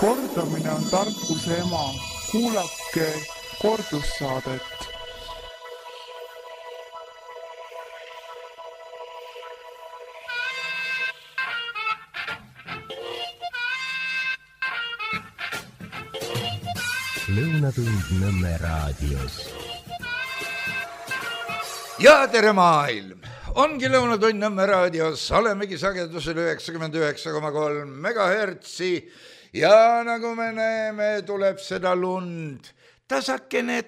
Kordamine on tarkuse ema. Kuulake kordussaadet. Lõunatund Nõmme raadios. Ja tere maailm! Ongi Lõunatund Nõmme raadios, olemegi sagedusel 99,3 megahertsi ja nagu me näeme, tuleb seda lund tasakene,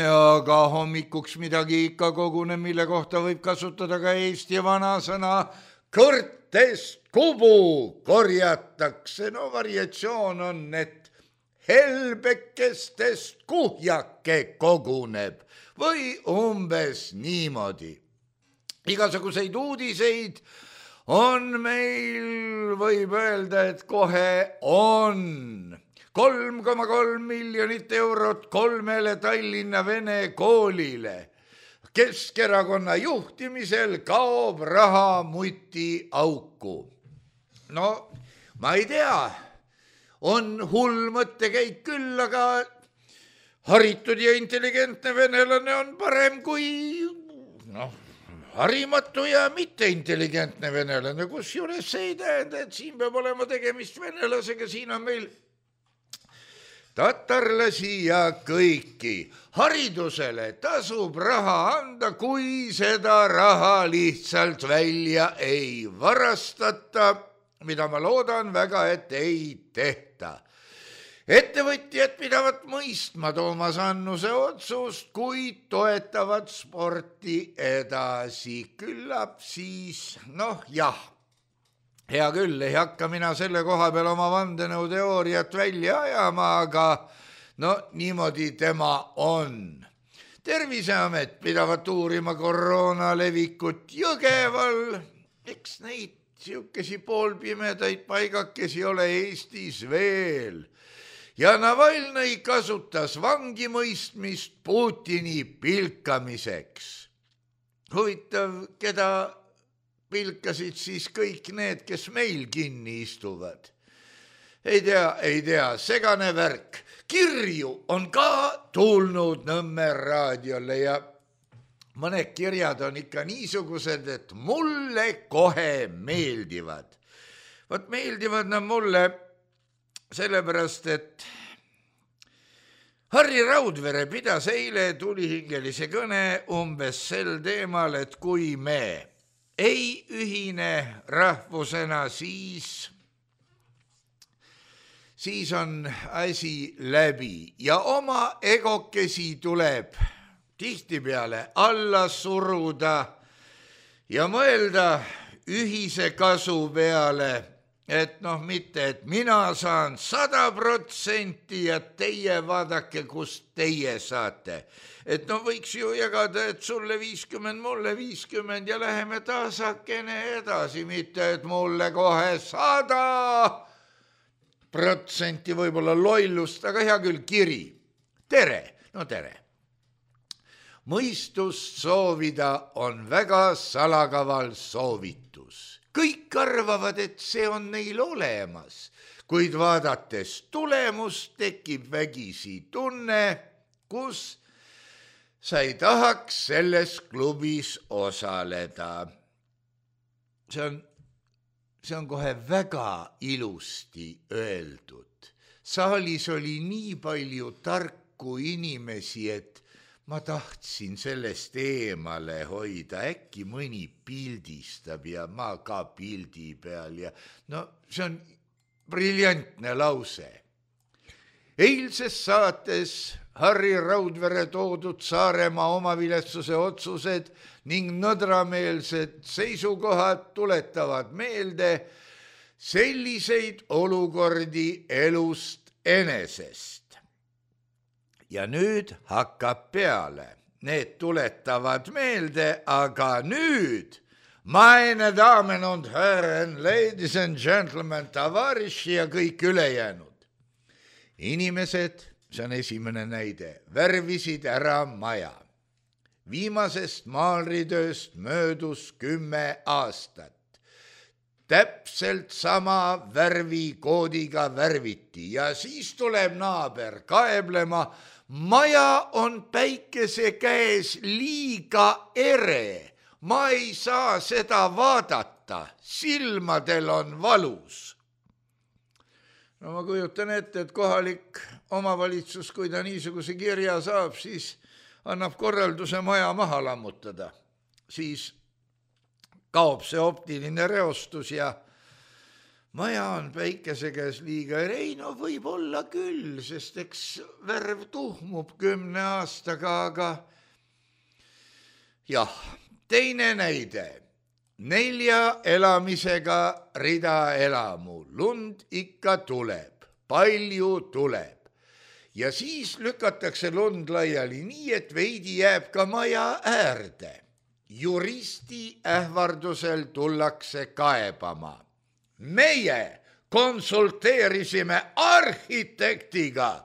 aga hommikuks midagi ikka koguneb, mille kohta võib kasutada ka Eesti vanasõna kõrtest kubu korjatakse. No variatsioon on, et helbekestest kuhjake koguneb või umbes niimoodi. Igasuguseid uudiseid on meil, võib öelda, et kohe on 3,3 miljonit eurot 3 Tallinna vene koolile. Keskerakonna juhtimisel kaob raha muti auku. No, ma ei tea, on hull mõttekäik küll, aga haritud ja intelligentne venelane on parem kui harimatu ja mitteintelligentne venelane, kusjuures see ei tähenda, et siin peab olema tegemist venelasega, siin on meil tatarlasi ja kõiki. Haridusele tasub raha anda, kui seda raha lihtsalt välja ei varastata, mida ma loodan väga, et ei tehta. Ettevõtjad pidavat mõistma Toomas Annuse otsust, kuid toetavad sporti edasi. Küllap siis, jah, hea küll, ei hakka mina selle koha peal oma vandenõuteooriat välja ajama, aga niimoodi tema on. Terviseamet pidavat uurima koroona levikut Jõgeval, eks neid siukesi poolpimedaid paigakesi ole Eestis veel. Ja Navalnõi kasutas vangimõistmist Putini pilkamiseks. Huvitav, keda pilkasid siis kõik need, kes meil kinni istuvad? Ei tea, segane värk. Kirju on ka tulnud Nõmme raadiole ja mõned kirjad on ikka niisugused, et mulle kohe meeldivad. Vot meeldivad nad mulle sellepärast, et Harri Raudvere pidas eile tulihingelise kõne umbes sel teemal, et kui me ei ühine rahvusena, siis on asi läbi ja oma egokesi tuleb tihtipeale alla suruda ja mõelda ühise kasu peale, et mitte, et mina saan 100% ja teie vaadake, kust teie saate. Et võiks ju jagada, et sulle 50, mulle 50 ja läheme tasakene edasi, mitte et mulle kohe 100% võib-olla lollust, aga hea küll, kiri. Tere, tere. Mõistust soovida on väga salakaval soovitus. Kõik arvavad, et see on neil olemas, kuid vaadates tulemust tekib vägisi tunne, kus sa ei tahaks selles klubis osaleda. See on kohe väga ilusti öeldud. Saalis oli nii palju tarku inimesi, et ma tahtsin sellest eemale hoida, äkki mõni pildistab ja ma ka pildi peal ja see on briljantne lause. Eilses saates Harri Raudvere toodud Saaremaa omaviletsuse otsused ning nõdrameelsed seisukohad tuletavad meelde selliseid olukordi elust enesest. Ja nüüd hakkab peale. Need tuletavad meelde, aga nüüd, meine Damen und Herren, ladies and gentlemen, tavariši ja kõik ülejäänud. Inimesed, see on esimene näide, värvisid ära maja. Viimasest maalritööst möödus 10 aastat. täpselt sama värvikoodiga värviti ja siis tuleb naaber kaeblema, maja on päikese käes liiga ere, ma ei saa seda vaadata, silmadel on valus. No ma kujutan ette, et kohalik omavalitsus, kui ta niisuguse kirja saab, siis annab korralduse maja maha lammutada. Siis kaob see optiline reostus ja maja on päikese käes liiga ere. Ei, no võib olla küll, sest eks värv tuhmub 10 aastaga, aga jah, teine näide. 4 elamisega ridaelamu, lund ikka tuleb, palju tuleb ja siis lükatakse lund laiali nii, et veidi jääb ka maja äärde. Juristi ähvardusel tullakse kaebama. Meie konsulteerisime arhitektiga.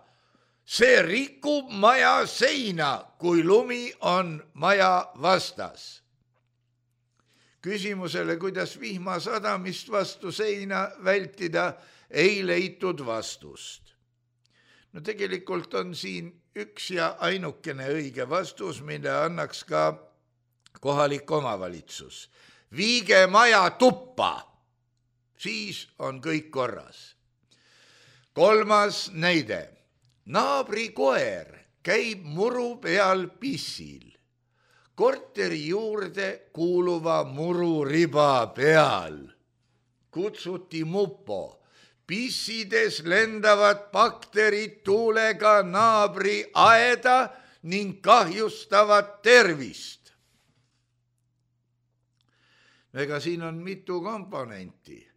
See rikub maja seina, kui lumi on maja vastas. Küsimusele, kuidas vihma sadamist vastu seina vältida, ei leitud vastust. No tegelikult on siin üks ja ainukene õige vastus, mille annaks ka kohalik omavalitsus. Viige maja tuppa, siis on kõik korras. 3. näide. Naabri koer käib muru peal pissil. Korteri juurde kuuluva mururiba peal kutsuti mupo. Pissides lendavad bakterid tuulega naabri aeda ning kahjustavad tervist. Ega siin on mitu komponenti.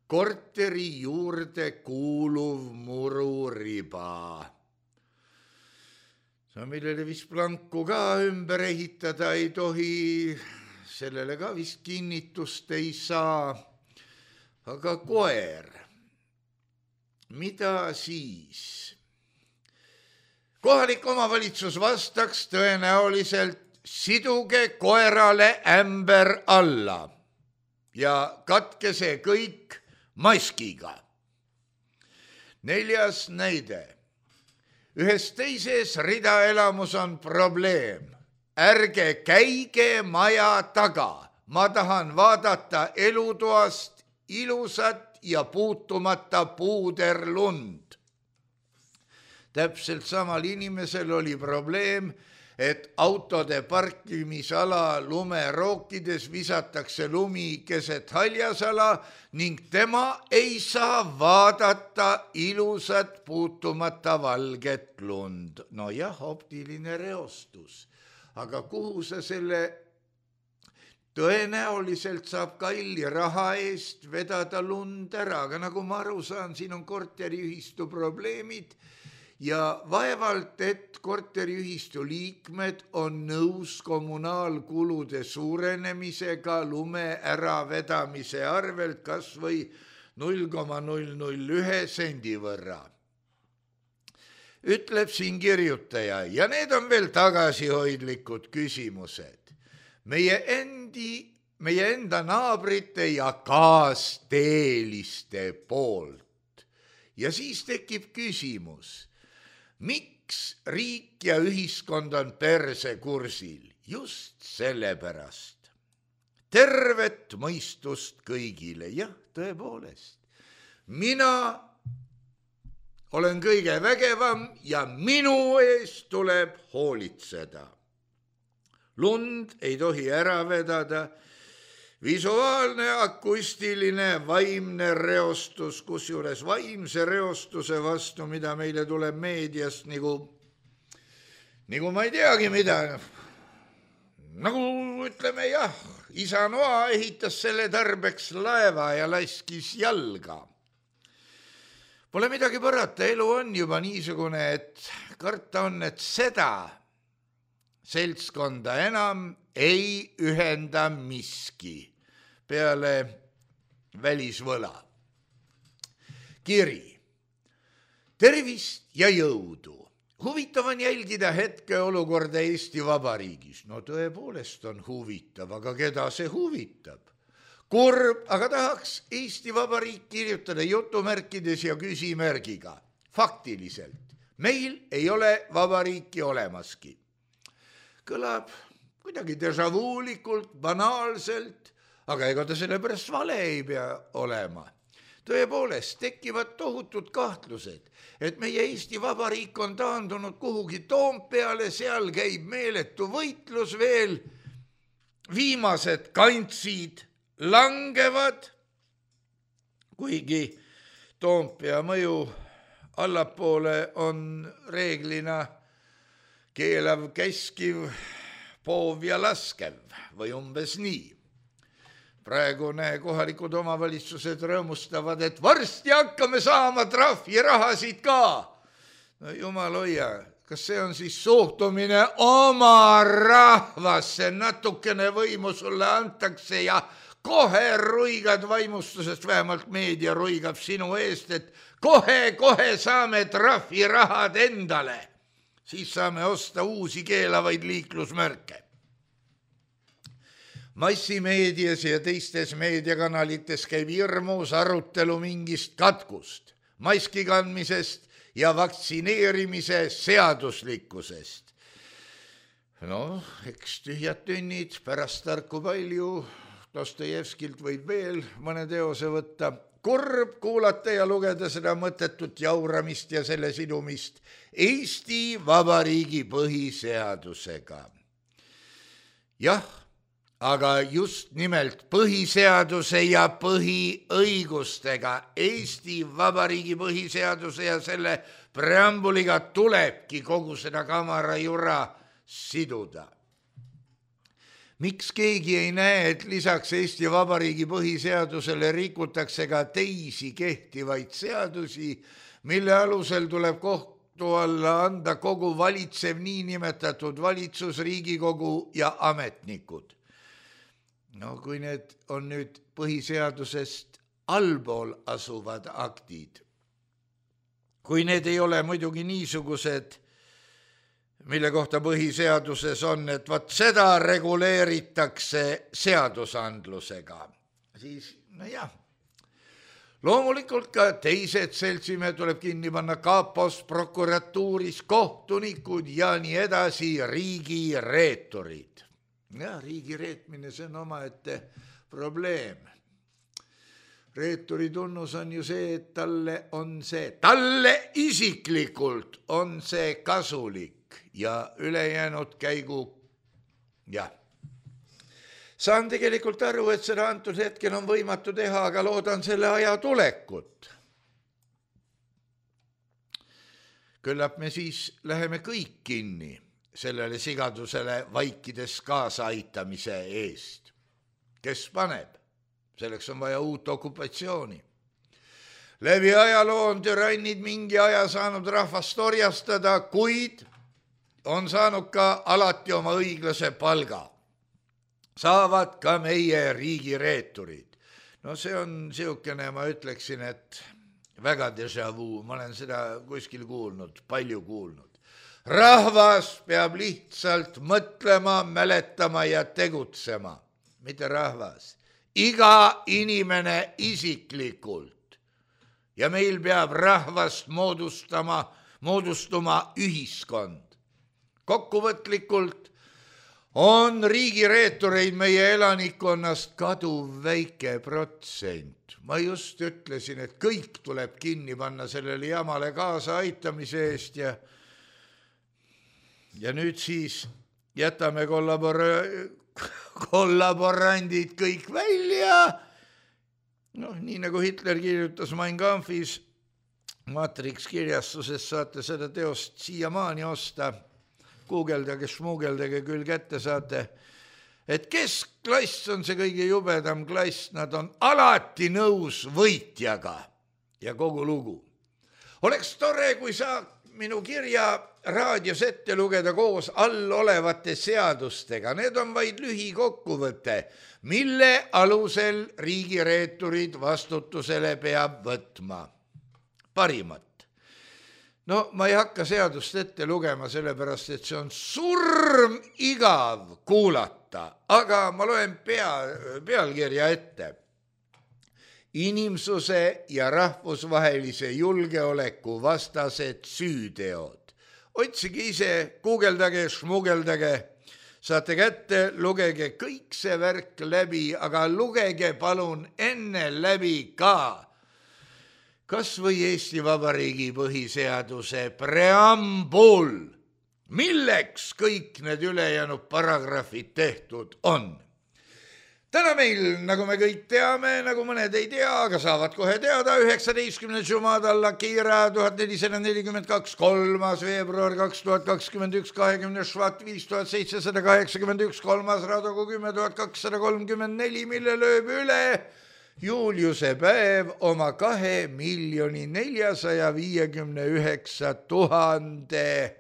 Korteri juurde kuuluv mururiba. Millele vist planku ka ümber ehitada ei tohi, sellele ka vist kinnitust ei saa. Aga koer, mida siis? Kohalik omavalitsus vastaks tõenäoliselt, siduge koerale ämber alla ja katke see kõik maskiga. 4. näide. Ühes teises ridaelamus on probleem. Ärge käige maja taga. Ma tahan vaadata elutoast ilusat ja puutumata puuderlund. Täpselt samal inimesel oli probleem, et autode parkimisala lumerookides visatakse lumi keset haljasala ning tema ei saa vaadata ilusat puutumata valget lund. No jah, optiline reostus. Aga kuhu sa selle tõenäoliselt saab kalli raha eest vedada lund ära? Aga nagu ma aru saan, siin on korteriühistu probleemid ja vaevalt, et korteriühistu liikmed on nõus kommunaalkulude suurenemisega lume äravedamise arvelt kas või 0,001 sendi võrra. Ütleb siin kirjutaja ja need on veel tagasihoidlikud küsimused. Meie enda naabrite ja kaasteeliste poolt. Ja siis tekib küsimus, miks riik ja ühiskond on persekursil? Just sellepärast. Tervet mõistust kõigile. Jah, tõepoolest. Mina olen kõige vägevam ja minu eest tuleb hoolitseda. Lund ei tohi ära vedada. Visuaalne, akustiline, vaimne reostus, kusjuures vaimse reostuse vastu, mida meile tuleb meediast nagu ma ei teagi mida. Nagu ütleme jah, isa Noa ehitas selle tarbeks laeva ja laskis jalga. Pole midagi parata, elu on juba niisugune, et karta on, et seda seltskonda enam ei ühenda miski peale välisvõla. Kiri. Tervist ja jõudu. Huvitav on jälgida hetkeolukorda Eesti Vabariigis. No tõepoolest on huvitav, aga keda see huvitab? kurb, aga tahaks Eesti Vabariik kirjutada jutumärkides ja küsimärgiga. Faktiliselt, meil ei ole vabariiki olemaski. Kõlab kuidagi dežavuulikult, banaalselt, aga ega ta sellepärast vale ei pea olema. Tõepoolest tekivad tohutud kahtlused, et meie Eesti Vabariik on taandunud kuhugi Toompeale, seal käib meeletu võitlus veel, viimased kantsid langevad, kuigi Toompea mõju allapoole on reeglina keelav, käskiv, poov ja laskev või umbes nii. Praegune kohalikud omavalitsused rõõmustavad, et varsti hakkame saama trahvirahasid ka. No jumal hoia, kas see on siis suhtumine oma rahvasse, natukene võimu sulle antakse ja kohe ruigad vaimustusest, vähemalt meedia ruigab sinu eest, et kohe saame trahvirahad endale. Siis saame osta uusi keelavaid liiklusmärke. Massimeedias ja teistes meediakanalites käib hirmus arutelu mingist katkust, maski kandmisest ja vaktsineerimise seaduslikkusest. No, eks tühjad tünnid, pärast tarku palju, Dostojevskilt võib veel mõne teose võtta. Kurb kuulata ja lugeda seda mõttetut jauramist ja selle sidumist Eesti Vabariigi põhiseadusega. Jah, aga just nimelt põhiseaduse ja põhiõigustega Eesti Vabariigi põhiseaduse ja selle preambuliga tulebki kogu seda kamara jura siduda. Miks keegi ei näe, et lisaks Eesti Vabariigi põhiseadusele rikutakse ka teisi kehtivaid seadusi, mille alusel tuleb kohtu alla anda kogu valitsev niinimetatud valitsus, Riigikogu ja ametnikud? No kui need on nüüd põhiseadusest allpool asuvad aktid, kui need ei ole muidugi niisugused, mille kohta põhiseaduses on, et vaat seda reguleeritakse seadusandlusega, siis nojah, loomulikult ka teised seltsimehed tuleb kinni panna kapos, prokuratuuris, kohtunikud ja nii edasi, riigireeturid. Ja riigi reetmine, see on omaette probleem. Reeturi tunnus on ju see, et talle isiklikult on see kasulik ja ülejäänud käigu, jah. Saan tegelikult aru, et seda antud hetkel on võimatu teha, aga loodan selle aja tulekut. Küllap me siis läheme kõik kinni sellele sigadusele vaikides kaasaaitamise eest. Kes paneb? Selleks on vaja uut okupatsiooni. Läbi ajaloo on türannid mingi aja saanud rahvast orjastada, kuid on saanud ka alati oma õiglase palga. Saavad ka meie riigireeturid. No see on siukene, ma ütleksin, et väga déjà vu, ma olen seda kuskil kuulnud, palju kuulnud. Rahvas peab lihtsalt mõtlema, mäletama ja tegutsema. Mitte rahvas. Iga inimene isiklikult. Ja meil peab rahvast moodustuma ühiskond. Kokkuvõtlikult on riigireetureid meie elanikkonnast kaduv väike protsent. Ma just ütlesin, et kõik tuleb kinni panna sellele jamale kaasa aitamise eest ja nüüd siis jätame kollaborandid kõik välja. No, nii nagu Hitler kirjutas Mein Kampfis, Matrix kirjastuses saate seda teost siiamaani osta. Guugeldage, šmuugeldage, küll kätte saate, et keskklass on see kõige jubedam klass, nad on alati nõus võitjaga ja kogu lugu. Oleks tore, kui saab minu kirja raadios ette lugeda koos all olevate seadustega. Need on vaid lühikokkuvõte, mille alusel riigireeturid vastutusele peab võtma. Parimat. No ma ei hakka seadust ette lugema, sellepärast, et see on surmigav kuulata, aga ma loen pealkirja ette. Inimsuse ja rahvusvahelise julgeoleku vastased süüteod. Otsige ise, guugeldage, šmugeldage, saate kätte, lugege kõik see värk läbi, aga lugege palun enne läbi ka kas või Eesti Vabariigi põhiseaduse preambul, milleks kõik need ülejäänud paragrahvid tehtud on. Täna meil, nagu me kõik teame, nagu mõned ei tea, aga saavad kohe teada, 19. Jumadal Akira 1442, 3. veebruar 2021, 20. švat 5781, 3. Radogu 10.234, mille lööb üle Juliuse päev oma 2 459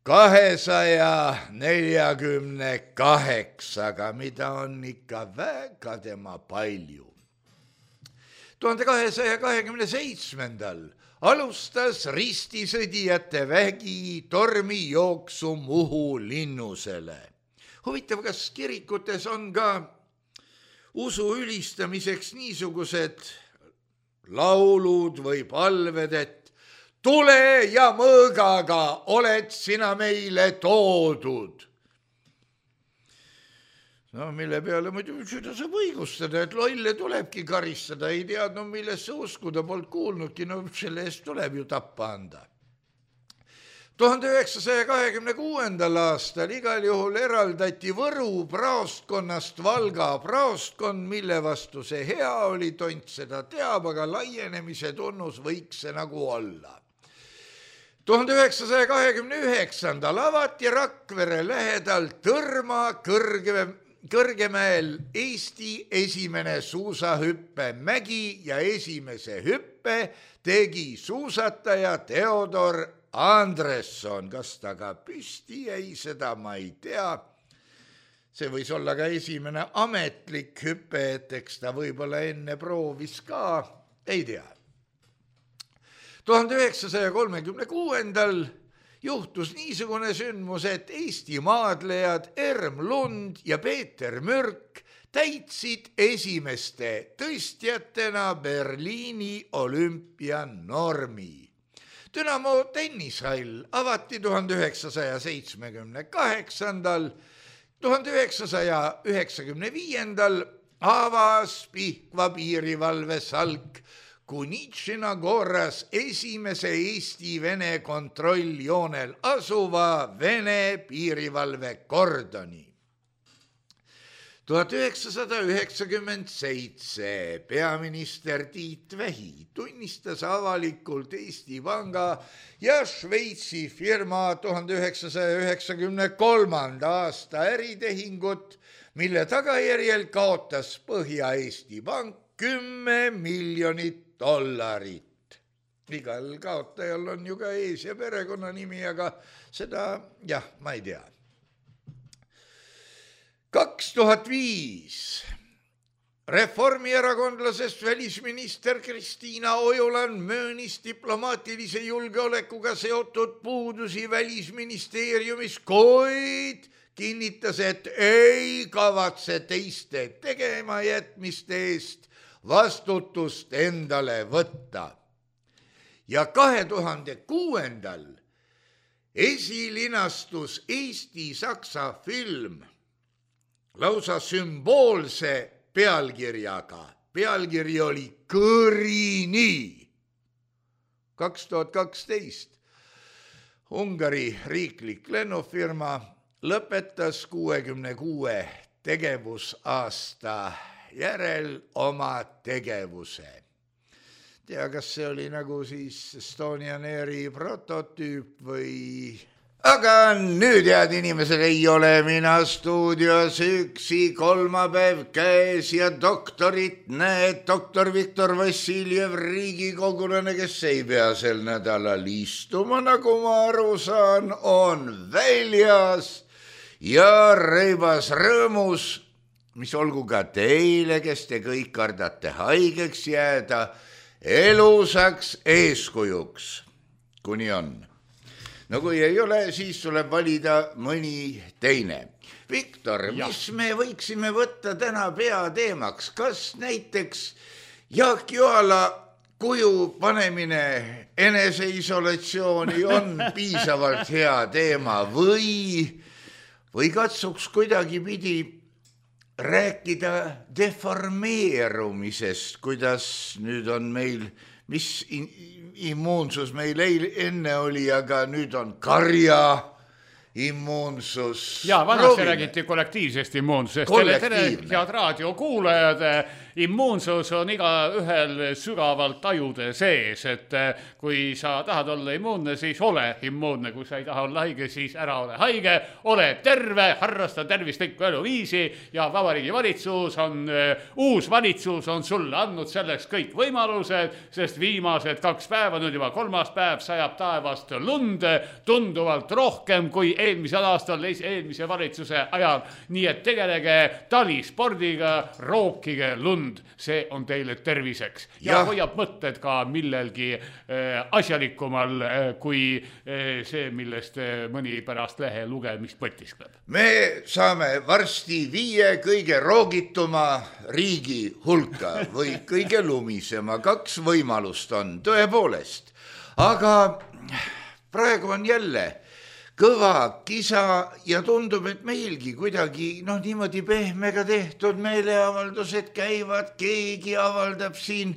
248, mida on ikka väga tema palju. 1227. alustas ristisõdijate vägi tormijooksu Muhu linnusele. Huvitav, kas kirikutes on ka usu ülistamiseks niisugused laulud või palved, et tule ja mõõgaga oled sina meile toodud. No mille peale muidu seda saab õigustada, et lolle tulebki karistada, ei teadnud, millesse uskuda, polnud kuulnudki, no selle eest tuleb ju tappa anda. 1926. aastal igal juhul eraldati Võru praostkonnast Valga praostkond, mille vastu see hea oli, tont seda teab, aga laienemise tunnus võiks see nagu olla. 1929. avati Rakvere lähedal Tõrma Kõrgemäel Eesti esimene suusahüppemägi ja esimese hüppe tegi suusataja Theodor Andresson, kas ta ka püsti jäi, seda ma ei tea. See võis olla ka esimene ametlik hüpe, et eks ta võib-olla enne proovis ka, ei tea. 1936. juhtus niisugune sündmus, et Eesti maadlejad Erm Lund ja Peeter Mürk täitsid esimeste tõstjatena Berliini olümpianormi. Dünamo tennishall avati 1978. 1995. avas Pihkva piirivalvesalk Kunitšina Goras esimese Eesti-Vene kontrolljoonel asuva Vene piirivalve kordoni. 1997 peaminister Tiit Vähi tunnistas avalikult Eesti Panga ja Šveitsi firma 1993. aasta äritehingut, mille tagajärjel kaotas Põhja-Eesti Pank $10 miljonit. Igal kaotajal on ju ka ees- ja perekonnanimi, aga seda, jah, ma ei tea. 2005 reformierakondlasest välisminister Kristiina Ojuland möönis diplomaatilise julgeolekuga seotud puudusi välisministeeriumis, kuid kinnitas, et ei kavatse teiste tegemajätmiste eest vastutust endale võtta. Ja 2006. esilinastus Eesti-Saksa film lausa sümboolse pealkirjaga. Pealkiri oli Kõrini. 2012 Ungari riiklik lennufirma lõpetas 66 tegevusaasta järel oma tegevuse. Tea, kas see oli nagu siis Estonian Airi prototüüp või... Aga nüüd, head inimesed, ei ole mina stuudios üksi, kolmapäev käes ja doktorit näed, doktor Viktor Vassiljev, riigikogulane, kes ei pea sel nädalal istuma, nagu ma aru saan, on väljas ja reibas rõõmus, mis olgu ka teile, kes te kõik kardate haigeks jääda, elusaks eeskujuks. kuni on. No kui ei ole, siis tuleb valida mõni teine. Viktor, mis me võiksime võtta täna peateemaks? Kas näiteks Jaak Joala kuju panemine eneseisolatsiooni on piisavalt hea teema või katsuks kuidagi pidi rääkida deformeerumisest, kuidas nüüd on meil, mis immuunsus meil enne oli, aga nüüd on karja immuunsus. Ja vanasti räägiti kollektiivsest immuunsusest. Tere, head raadiokuulajad, immuunsus on igaühel sügavalt tajude sees, et kui sa tahad olla immuunne, siis ole immuunne, kui sa ei taha olla haige, siis ära ole haige, ole terve, harrasta tervislikku eluviisi ja Vabariigi valitsus uus valitsus on sulle andnud selleks kõik võimalused, sest viimased 2 päeva, nüüd juba 3. päev, sajab taevast lund tunduvalt rohkem kui eelmisel aastal, eelmise valitsuse ajal, nii et tegelege talispordiga, rookige lund. See on teile terviseks ja hoiab mõtted ka millelgi asjalikumal kui see, millest mõni pärast lehe lugemist mõtiskleb. Me saame varsti 5 kõige roogituma riigi hulka või kõige lumisema. 2 võimalust on tõepoolest, aga praegu on jälle kõva kisa ja tundub, et meilgi kuidagi niimoodi pehmega tehtud meeleavaldused käivad, keegi avaldab siin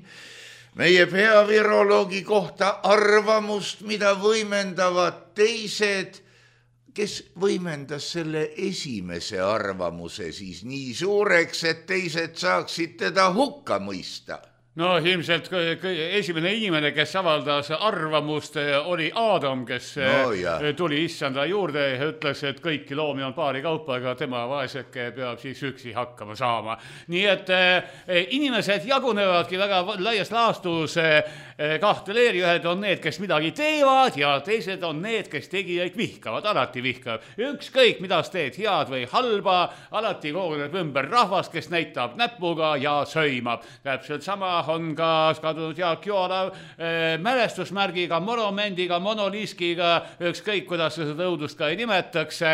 meie peaviroloogi kohta arvamust, mida võimendavad teised, kes võimendas selle esimese arvamuse siis nii suureks, et teised saaksid teda hukka mõista. No ilmselt esimene inimene, kes avaldas arvamust, oli Aadam, kes tuli issanda juurde ja ütles, et kõiki loomi on paari kaupa, aga tema vaeseke peab siis üksi hakkama saama. Nii et inimesed jagunevadki väga laias laastus 2 leeri, ühed on need, kes midagi teevad ja teised on need, kes tegijaid vihkavad, alati vihkavad. Ükskõik, mida sa teed, head või halba, alati koguneb ümber rahvast, kes näitab näpuga ja söimab. Täpselt sama on ka kadunud Jaak Joala mälestusmärgiga, monumendiga, monoliskiga, ükskõik kuidas seda õudust ka ei nimetakse.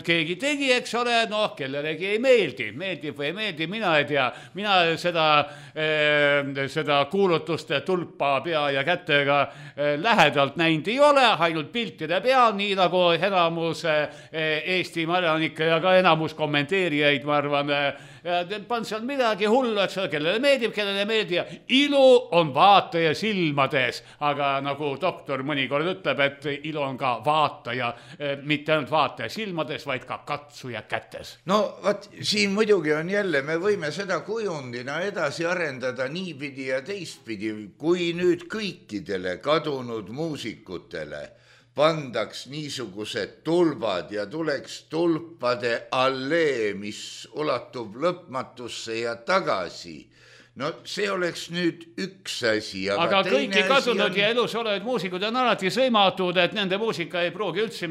Keegi tegi, eks ole, kellelegi ei meeldi. Meeldib või ei meeldi, mina ei tea. Mina seda kuulutuste tulpa pea ja kätega lähedalt näinud ei ole, ainult piltide peal, nii nagu enamus Eesti elanikke ja ka enamus kommenteerijaid, ma arvan, pan seal midagi hullu, eks ole, kellele meeldib, kellele meeldi ja ilu on vaataja silmades, aga nagu doktor mõnikord ütleb, et ilu on ka vaataja, mitte ainult vaataja silmades, vaid ka katsuja kätes. No vaat, siin muidugi on jälle, me võime seda kujundina edasi arendada niipidi ja teistpidi, kui nüüd kõikidele kadunud muusikutele pandaks niisugused tulbad ja tuleks tulpade allee, mis ulatub lõpmatusse ja tagasi. No see oleks nüüd üks asi. Aga kõiki kadunud ja elus olevad muusikud on alati sõimatud, et nende muusika ei pruugi üldse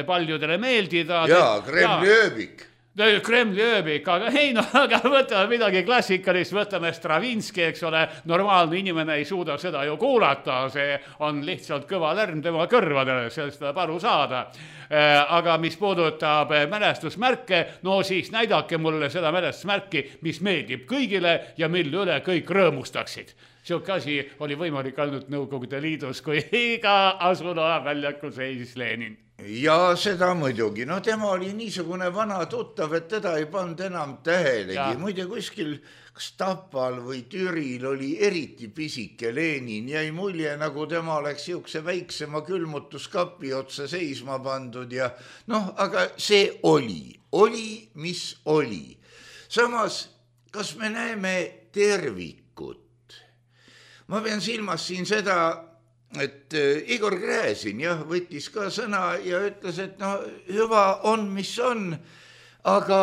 paljudele meeldida. Jaa, Kremli ööbik. Kremli ööbik, aga ei, aga võtame midagi klassikalist, võtame Stravinski, eks ole, normaalne inimene ei suuda seda ju kuulata, see on lihtsalt kõva lärm tema kõrvadele, sellest tuleb aru saada. Aga mis puudutab mälestusmärke, no siis näidake mulle seda mälestusmärki, mis meeldib kõigile ja mille üle kõik rõõmustaksid. Siuke asi oli võimalik ainult Nõukogude Liidus, kui iga Asula väljakul seisis Lenin. Ja seda muidugi. No tema oli niisugune vana tuttav, et teda ei pand enam tähelegi. Muide kuskil kas Tapal või Türil oli eriti pisike Lenin. Jäi mulje, nagu tema oleks siukse väiksema külmutuskapi otsa seisma pandud. Ja aga see oli, mis oli. Samas, kas me näeme tervikut? Ma pean silmas siin seda, et Igor Gräzin võttis ka sõna ja ütles, et hüva on, mis on, aga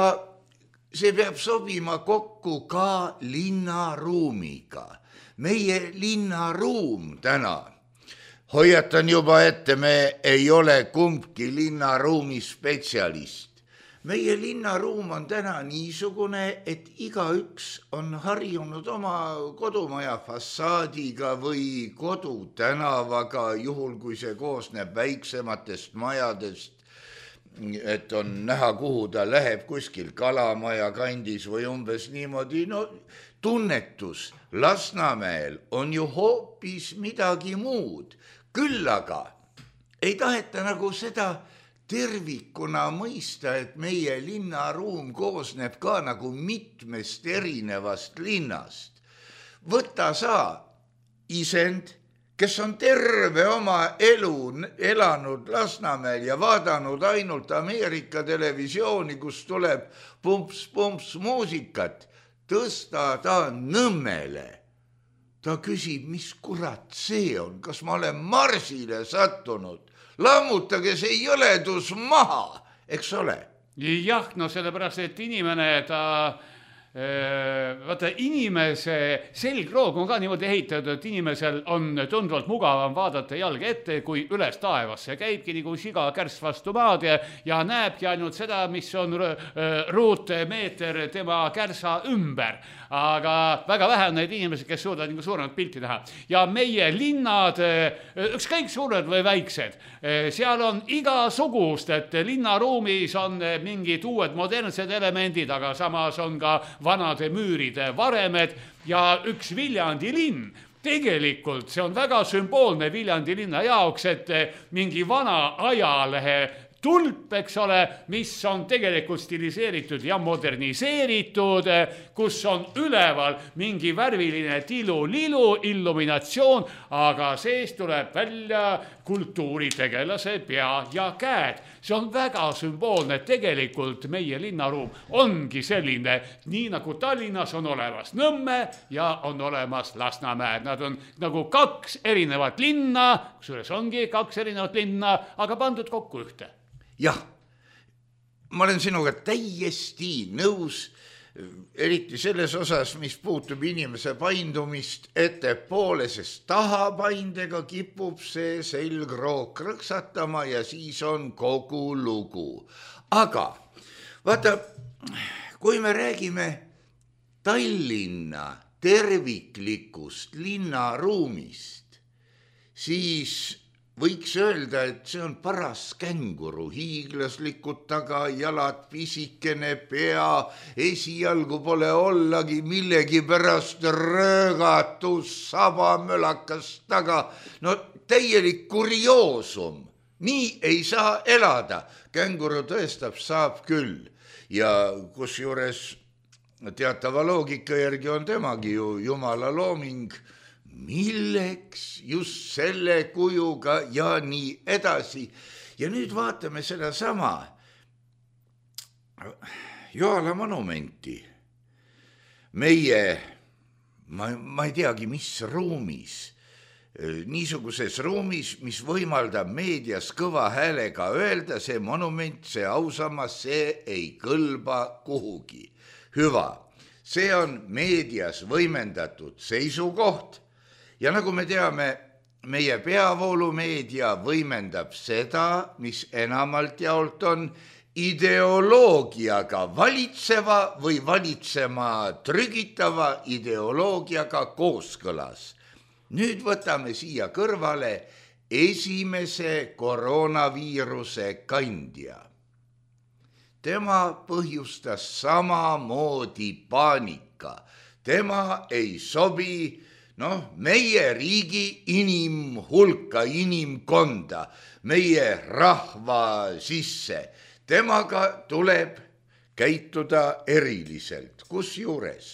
see peab sobima kokku ka linnaruumiga. Meie linnaruum täna, hoiatan juba ette, me ei ole kumbki linnaruumi spetsialist. meie linnaruum on täna niisugune, et igaüks on harjunud oma kodumaja fassaadiga või kodutänavaga, juhul kui see koosneb väiksematest majadest, et on näha, kuhu ta läheb kuskil Kalamaja kandis või umbes niimoodi. No tunnetus Lasnamäel on ju hoopis midagi muud. Küll aga ei taheta nagu seda tervikuna mõista, et meie linnaruum koosneb ka nagu mitmest erinevast linnast. Võta sa isend, kes on terve oma elu elanud Lasnamäel ja vaadanud ainult Ameerika televisiooni, kus tuleb pumps muusikat, tõsta ta Nõmmele. Ta küsib, mis kurat see on, kas ma olen Marsile sattunud? Lammutage see jõledus maha, eks ole? Jah, no sellepärast, et inimene vaata, inimese selgroog on ka niimoodi ehitatud, et inimesel on tundvalt mugavam vaadata jalga ette, kui üles taevasse. Käibki nagu siga kärss vastu maad ja näebki ainult seda, mis on ruutmeeter tema kärsa ümber. Aga väga vähe on neid inimesi, kes suudavad nagu suuremat pilti teha. Ja meie linnad, ükskõik suured või väiksed, seal on igasugust, et linnaruumis on mingid uued modernsed elemendid, aga samas on ka vanade müüride varemed ja üks Viljandi linn. Tegelikult see on väga sümboolne Viljandi linna jaoks, et mingi vana ajalehe tulp, eks ole, mis on tegelikult stiliseeritud ja moderniseeritud, kus on üleval mingi värviline tilu-lilu illuminatsioon, aga sees tuleb välja kultuuritegelase pea ja käed. See on väga sümboolne, tegelikult meie linnaruum ongi selline, nii nagu Tallinnas on olemas Nõmme ja on olemas Lasnamäe. Nad on nagu kaks erinevat linna, kusjuures ongi kaks erinevat linna, aga pandud kokku ühte. Jah, ma olen sinuga täiesti nõus, eriti selles osas, mis puutub inimese paindumist ettepoole, sest tahapaindega kipub see selgroog krõksatama ja siis on kogu lugu. Aga vaata, kui me räägime Tallinna terviklikust linnaruumist, siis võiks öelda, et see on paras känguru, hiiglaslikud tagajalad, pisikene pea, esialgu pole ollagi millegi pärast röögatus, sabamölakas taga. No täielik kurioosum, nii ei saa elada. Känguru tõestab, saab küll. Ja kus juures teatava loogika järgi on temagi ju jumala looming, milleks just selle kujuga ja nii edasi. Ja nüüd vaatame seda sama Joala monumenti. Meie, ma ei teagi, mis ruumis, niisuguses ruumis, mis võimaldab meedias kõva häälega öelda, see monument, see ausammas, see ei kõlba kuhugi. Hüva, see on meedias võimendatud seisukoht. Ja nagu me teame, meie peavoolumeedia võimendab seda, mis enamalt jaolt on ideoloogiaga valitseva või valitsema trügitava ideoloogiaga kooskõlas. Nüüd võtame siia kõrvale esimese koroonaviiruse kandja. Tema põhjustas samamoodi paanika. Tema ei sobi meie riigi inimhulka, inimkonda, meie rahva sisse. Temaga tuleb käituda eriliselt. Kusjuures,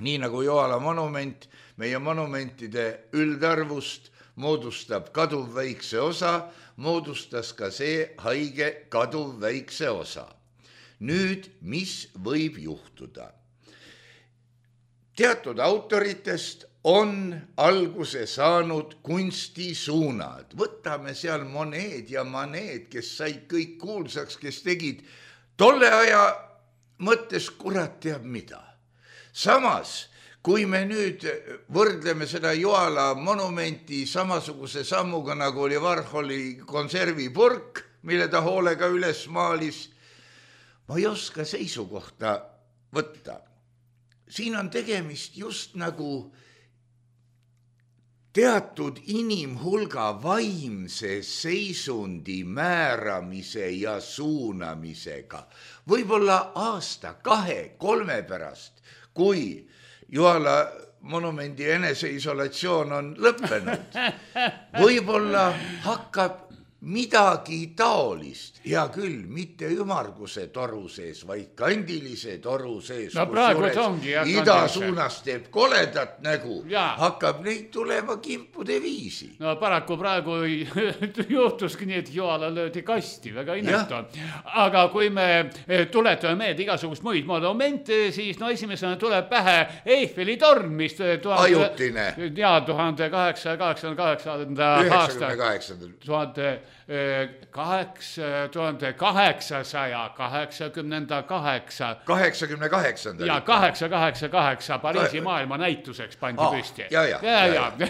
nii nagu Joala monument, meie monumentide üldarvust moodustab kaduv väikse osa, moodustas ka see haige kaduv väikse osa. Nüüd, mis võib juhtuda? Teatud autoritest on alguse saanud kunstisuunad. Võtame seal Monet ja Manet, kes said kõik kuulsaks, kes tegid tolle aja mõttes kurat teab mida. Samas, kui me nüüd võrdleme seda Joala monumenti samasuguse sammuga, nagu oli Warholi konservipurk, mille ta hoolega üles maalis, ma ei oska seisukohta võtta. Siin on tegemist just nagu teatud inimhulga vaimse seisundi määramise ja suunamisega. Võib-olla aasta, 2-3 pärast, kui Juhala monumendi eneseisolatsioon on lõppenud, võib-olla hakkab midagi taolist, hea küll, mitte ümarguse toru sees, vaid kandilise toru sees, no praegu ongi ida suunas teeb koledat nägu, hakkab neid tulema kimpude viisi. No paraku praegu juhtuski nii, et Juhala löödi kasti, väga inetu. Aga kui me tuletame meelde igasugust muid monumente, siis no esimesena tuleb pähe Eiffeli torn, mis ajutine. 1888. aasta 88. Ja 888 Pariisi maailma näituseks pandi püsti.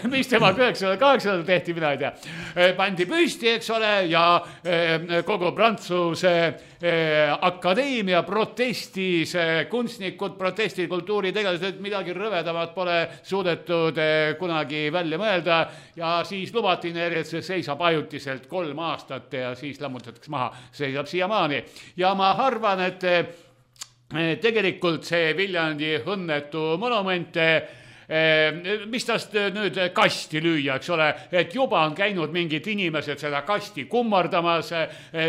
Mis tema 908 tehti, mina ei tea. Pandi püsti, eks ole, ja kogu Prantsuse akadeemia protestis, kunstnikud protestid, kultuuritegelased, midagi rõvedamat pole suudetud kunagi välja mõelda ja siis lubati neile, et see seisab ajutiselt 3 aastat ja siis lammutatakse maha, seisab siiamaani. Ja ma arvan, et tegelikult see Viljandi õnnetu monument, mis tast nüüd kasti lüüa, eks ole, et juba on käinud mingid inimesed seda kasti kummardamas,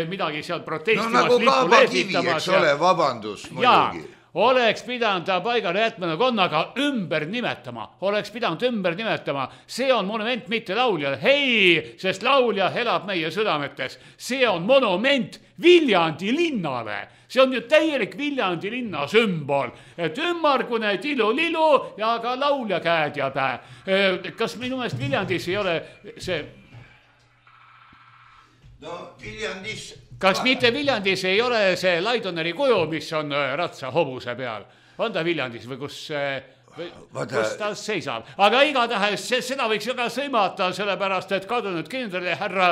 midagi seal protestimas, no nagu Kaabakivi, eks ole, vabandus muidugi. Oleks pidanud ta paigale jätmana konnaga ümber nimetama. Oleks pidanud ümber nimetama. See on monument mitte lauljale. Hei, sest laulja elab meie südametes. See on monument Viljandi linnale. See on ju täielik Viljandi linna sümbol. Et ümmargune tilu-lilu ja ka laulja käed ja päe. Kas minu meelest Viljandis ei ole see... No Viljandis... Kas mitte Viljandis ei ole see Laidoneri kuju, mis on ratsa hobuse peal? On ta Viljandis või kus ta seisab? Aga igatahes seda võiks ju ka sõimata, sellepärast, et kadunud kindrali härra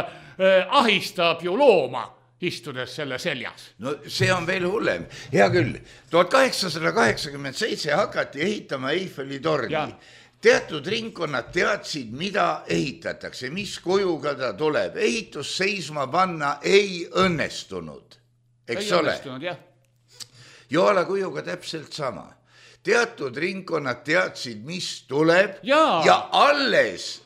ahistab ju looma, istudes selle seljas. No see on veel hullem. Hea küll, 1887 hakati ehitama Eiffeli torni. Teatud ringkonnad teadsid, mida ehitatakse, mis kujuga ta tuleb. Ehitus seisma panna ei õnnestunud. Eks ole? Juhala kujuga täpselt sama. Teatud ringkonnad teadsid, mis tuleb ja alles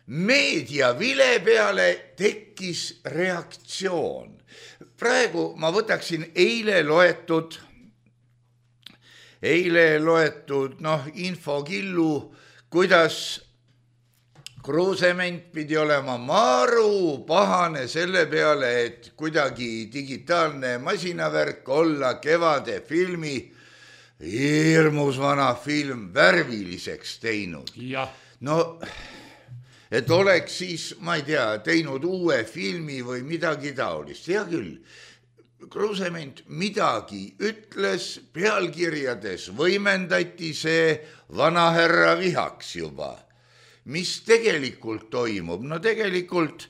meedia vile peale tekkis reaktsioon. Praegu ma võtaksin eile loetud infokillu, kuidas Kruusement pidi olema maru pahane selle peale, et kuidagi digitaalne masinavärk olla kevade filmi, hirmus vana film, värviliseks teinud. No, et oleks siis, ma ei tea, teinud uue filmi või midagi taolist. Hea küll, Kruusement midagi ütles, pealkirjades võimendati see vanahärra vihaks juba. Mis tegelikult toimub? No tegelikult,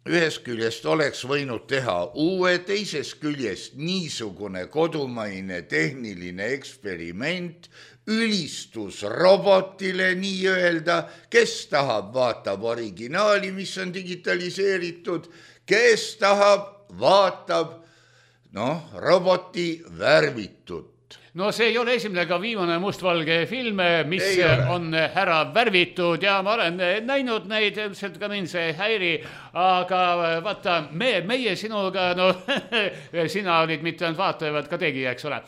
ühest küljest oleks võinud teha uue, teisest küljest niisugune kodumaine tehniline eksperiment, ülistus robotile nii öelda, kes tahab, vaatab originaali, mis on digitaliseeritud, kes tahab, vaatab, roboti värvitud. No see ei ole esimene ka viimane mustvalge film, mis on ära värvitud ja ma olen näinud neid, ilmselt ka mind see häiri, aga vaata, meie sinuga, sina olid mitte ainult vaataja, vaid ka tegija, eks ole,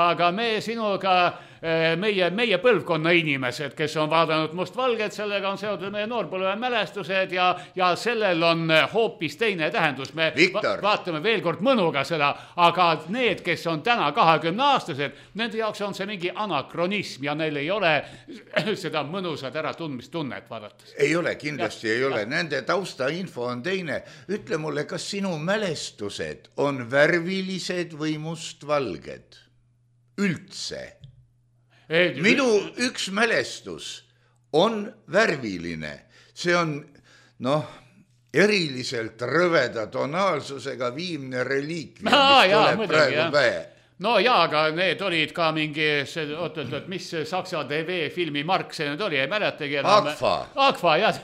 aga me sinuga, meie põlvkonna inimesed, kes on vaadanud mustvalget, sellega on seotud meie noorpõlve mälestused ja sellel on hoopis teine tähendus. Me vaatame veel kord mõnuga seda, aga need, kes on täna 20-aastased, nende jaoks on see mingi anakronism ja neil ei ole seda mõnusat äratundmistunnet vaadates. Ei ole, kindlasti ei ole. Nende taustainfo on teine. Ütle mulle, kas sinu mälestused on värvilised või mustvalged? Üldse. Minu üks mälestus on värviline. See on, eriliselt rõveda tonaalsusega Viimne reliikvia, mis tuleb praegu pähe. No jaa, aga need olid ka mingi, mis Saksa TV filmi mark see nüüd oli, ei mäletagi. Agfa, jah.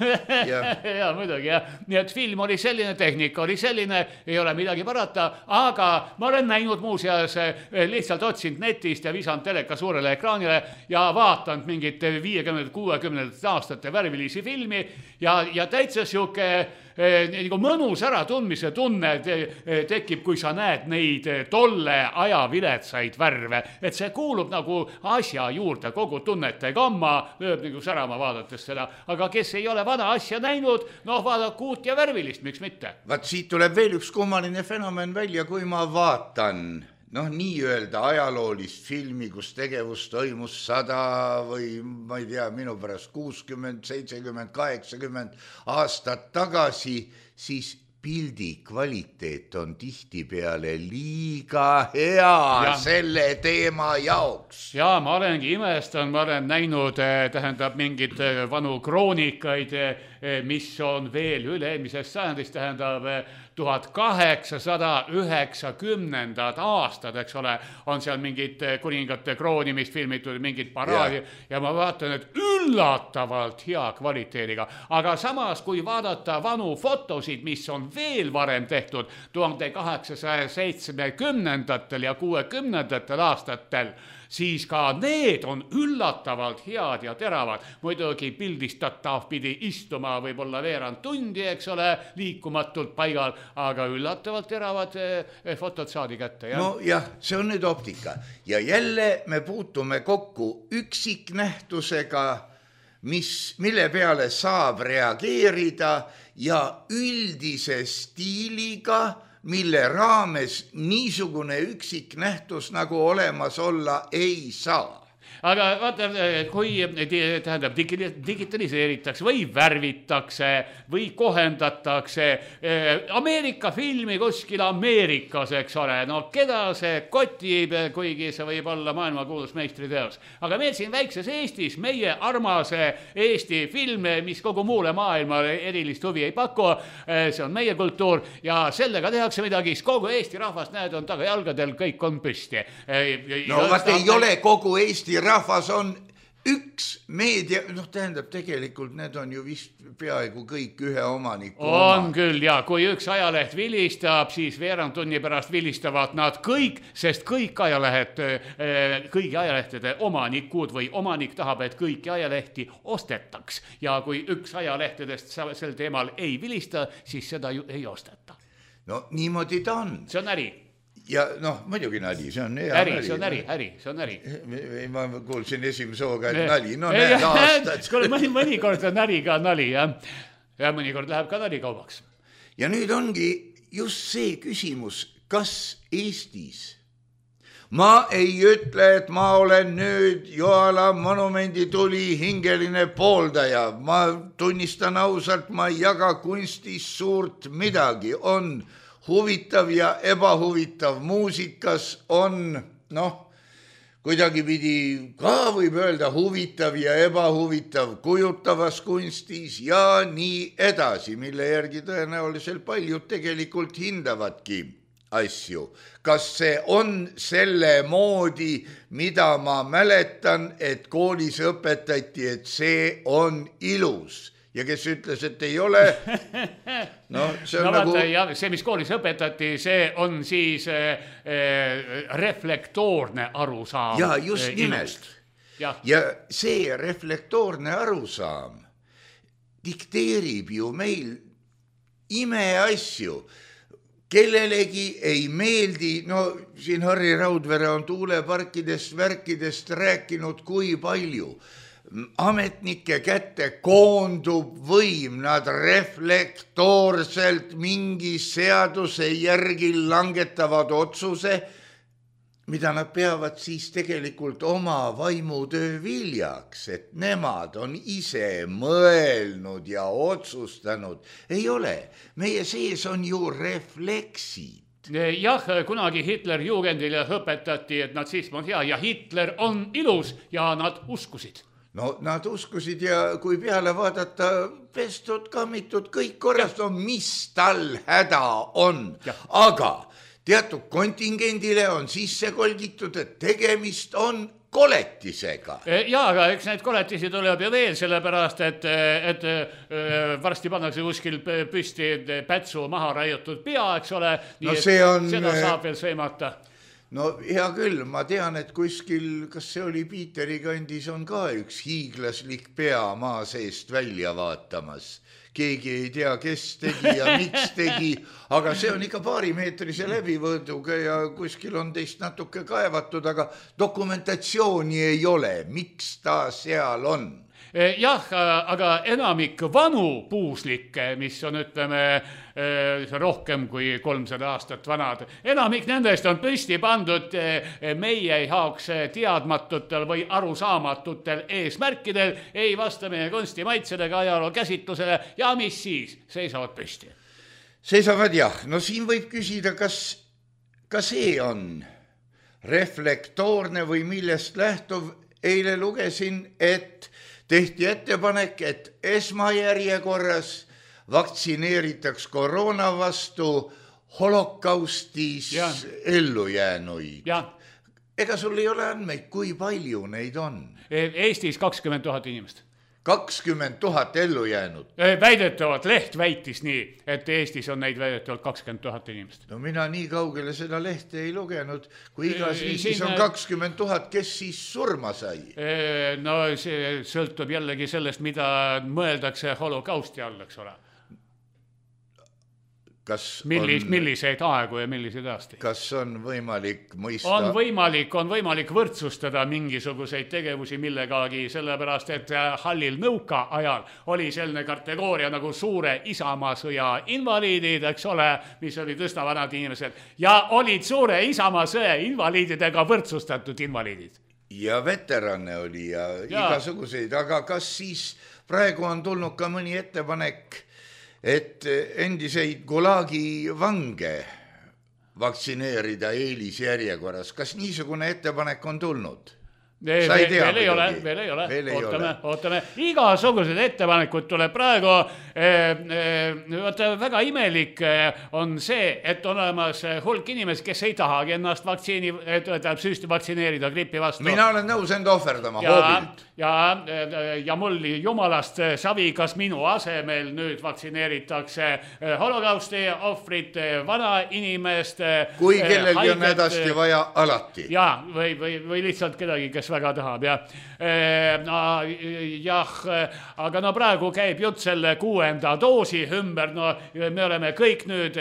Ja muidugi, jah. Nii et film oli selline, tehnika oli selline, ei ole midagi parata, aga ma olen näinud muuseas, lihtsalt otsinud netist ja visanud teleka suurele ekraanile ja vaatanud mingit 50-60 aastate värvilisi filmi ja täitsa siuke nagu mõnus äratundmise tunne tekib, kui sa näed neid tolle aja viletsaid värve. Et see kuulub nagu asja juurde, kogu tunnete gamma lööb nagu särama vaadates seda. Aga kes ei ole vana asja näinud, vaadaku uut ja värvilist, miks mitte? Vaat siit tuleb veel üks kummaline fenomen välja, kui ma vaatan nii-öelda ajaloolist filmi, kus tegevus toimus 100 või ma ei tea, minu pärast 60, 70, 80 aastat tagasi, siis pildi kvaliteet on tihtipeale liiga hea selle teema jaoks. Jaa, ma olengi imestanud, ma olen näinud, tähendab mingid vanu kroonikaid, mis on veel üle-eelmisest sajandist, tähendab 1890 aastad, eks ole, on seal mingid kuningate kroonimist filmitud, mingid paraadi ja ma vaatan, et üllatavalt hea kvaliteediga. Aga samas, kui vaadata vanu fotosid, mis on veel varem tehtud 1870 ja 60 aastatel, siis ka need on üllatavalt head ja teravad. Muidugi pildistatav pidi istuma võib-olla veerand tundi, eks ole, liikumatult paigal, aga üllatavalt teravad fotod saadi kätte. No jah, see on nüüd optika. Ja jälle me puutume kokku üksiknähtusega, mille peale saab reageerida ja üldise stiiliga, mille raames niisugune üksiknähtus nagu olemas olla ei saa. Aga vaata, kui tähendab digitaliseeritakse või värvitakse või kohendatakse Ameerika filmi kuskil Ameerikas, eks ole, keda see kotib, kuigi see võib olla maailmakuulus meistriteos. Aga meil siin väikses Eestis, meie armas Eesti film, mis kogu muule maailmale erilist huvi ei paku, see on meie kultuur ja sellega tehakse midagi, kogu Eesti rahvas, näed, on tagajalgadel, kõik on püsti. No vaat ei ole kogu Eesti rahvas on üks meedia, tähendab tegelikult need on ju vist peaaegu kõik ühe omaniku on oma. Küll, ja kui üks ajaleht vilistab, siis veerand tunni pärast vilistavad nad kõik, sest kõik ajalehed, kõigi ajalehtede omanikud või omanik tahab, et kõiki ajalehti ostetaks. Ja kui üks ajalehtedest sel teemal ei vilista, siis seda ju ei osteta. No niimoodi ta on. See on äri. Ja muidugi nali, see on hea äri. See on äri. Ma kuulsin esimese hooga, et nali, näed aastad. Mõnikord on äri ka nali, jah. Ja mõnikord läheb ka nali kaubaks. Ja nüüd ongi just see küsimus, kas Eestis, ma ei ütle, et ma olen nüüd Joala monumendi tuli hingeline pooldaja, ma tunnistan ausalt, ma ei jaga kunstis suurt midagi, on huvitav ja ebahuvitav muusikas on, kuidagi pidi ka võib öelda huvitav ja ebahuvitav kujutavas kunstis ja nii edasi, mille järgi tõenäoliselt paljud tegelikult hindavadki asju. Kas see on selle moodi, mida ma mäletan, et koolis õpetati, et see on ilus? Ja kes ütles, et ei ole, see on nagu... Ja see, mis koolis õpetati, see on siis reflektoorne arusaam. Ja just nimelt. Ja see reflektoorne arusaam dikteerib ju meil imeasju. Kellelegi ei meeldi, siin Harri Raudvere on tuuleparkidest, värkidest rääkinud kui palju. Ametnike kätte koondub võim, nad reflektoorselt mingi seaduse järgi langetavad otsuse, mida nad peavad siis tegelikult oma vaimutöö viljaks, et nemad on ise mõelnud ja otsustanud. Ei ole, meie sees on ju refleksid. Jah, kunagi Hitler-Jugendile õpetati, et natsism on hea ja Hitler on ilus ja nad uskusid. no nad uskusid ja kui peale vaadata, pestud, kammitud, kõik korras, no mis tal häda on. Aga teatud kontingendile on sisse kolgitud, et tegemist on koletisega. Jaa, aga eks neid koletisi tuleb ju veel, sellepärast, et varsti pannakse kuskil püsti pätsu maha raiutud pea, eks ole, nii seda saab veel sõimata. No hea küll, ma tean, et kuskil, kas see oli Piiteri kandis, on ka üks hiiglaslik pea maa seest välja vaatamas. Keegi ei tea, kes tegi ja miks tegi, aga see on ikka paarimeetrise läbivõõduga ja kuskil on teist natuke kaevatud, aga dokumentatsiooni ei ole, miks ta seal on. Jah, aga enamik vanu puuslikke, mis on, ütleme, rohkem kui 300 aastat vanad, enamik nendest on püsti pandud meie jaoks teadmatutel või arusaamatutel eesmärkidel, ei vasta meie kunstimaitsele ega ajaloo käsitlusele ja mis siis, seisavad püsti. Seisavad jah, no siin võib küsida, kas see on reflektoorne või millest lähtuv. Eile lugesin, et tehti ettepanek, et esmajärjekorras vaktsineeritaks koroona vastu holokaustis ellujäänuid. Ega sul ei ole andmeid, kui palju neid on? Eestis 20 000 inimest. 20 000 ellu jäänud. Väidetavalt leht väitis nii, et Eestis on neid väidetavalt 20 000 inimest. No mina nii kaugele seda lehte ei lugenud, kui igas riigis on 20 000, kes siis surma sai? No see sõltub jällegi sellest, mida mõeldakse holokausti all, eks ole. Milliseid aegu ja milliseid aastaid? Kas on võimalik mõista? On võimalik võrdsustada mingisuguseid tegevusi millegagi, sellepärast, et hallil nõuka ajal oli selline kategooria nagu suure Isamaasõja invaliidid, eks ole, mis olid üsna vanad inimesed, ja olid suure Isamaasõja invaliididega võrdsustatud invaliidid. Ja veterane oli ja igasuguseid, aga kas siis praegu on tulnud ka mõni ettepanek, et endiseid Gulagi vange vaktsineerida eelisjärjekorras. Kas niisugune ettepanek on tulnud? Veel ei ole. Ootame. Igasugused ettepanekud tuleb praegu. Väga imelik on see, et on olemas hulk inimesi, kes ei tahagi ennast süsti vaktsineerida gripi vastu. Mina olen nõus enda ohverdama hoobilt. Ja mul jumalast savi, kas minu asemel nüüd vaktsineeritakse holokausti ohvrit, vana inimest. Kui kellelgi on hädasti vaja alati. Või lihtsalt kedagi, kes väga tahab. Aga no praegu käib jutt selle 6. doosi ümber. No, me oleme kõik nüüd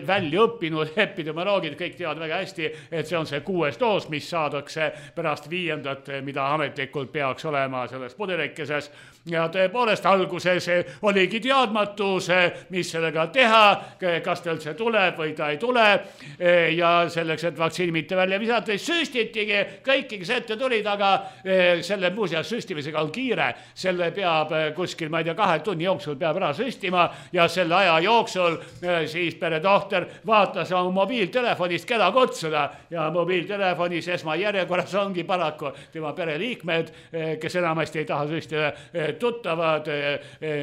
välja õppinud, epidemioloogid kõik teavad väga hästi, et see on see 6. doos, mis saadakse pärast 5., mida ametlikult peaks olema selles pudelikeses. Ja tõepoolest alguses oligi teadmatus, mis sellega teha, kas ta üldse tuleb või ta ei tule. Ja selleks, et vaktsiini mitte välja visata, süstitigi kõiki, kes ette tulid, aga selle muuseas süstimisega on kiire. Selle peab kuskil, ma ei tea, 2 tunni jooksul peab ära süstima ja selle aja jooksul siis peretohter vaatas oma mobiiltelefonist, keda kutsuda. Ja mobiiltelefonis esmajärjekorras ongi paraku tema pereliikmed, kes enamasti ei taha süstida, tuttavad,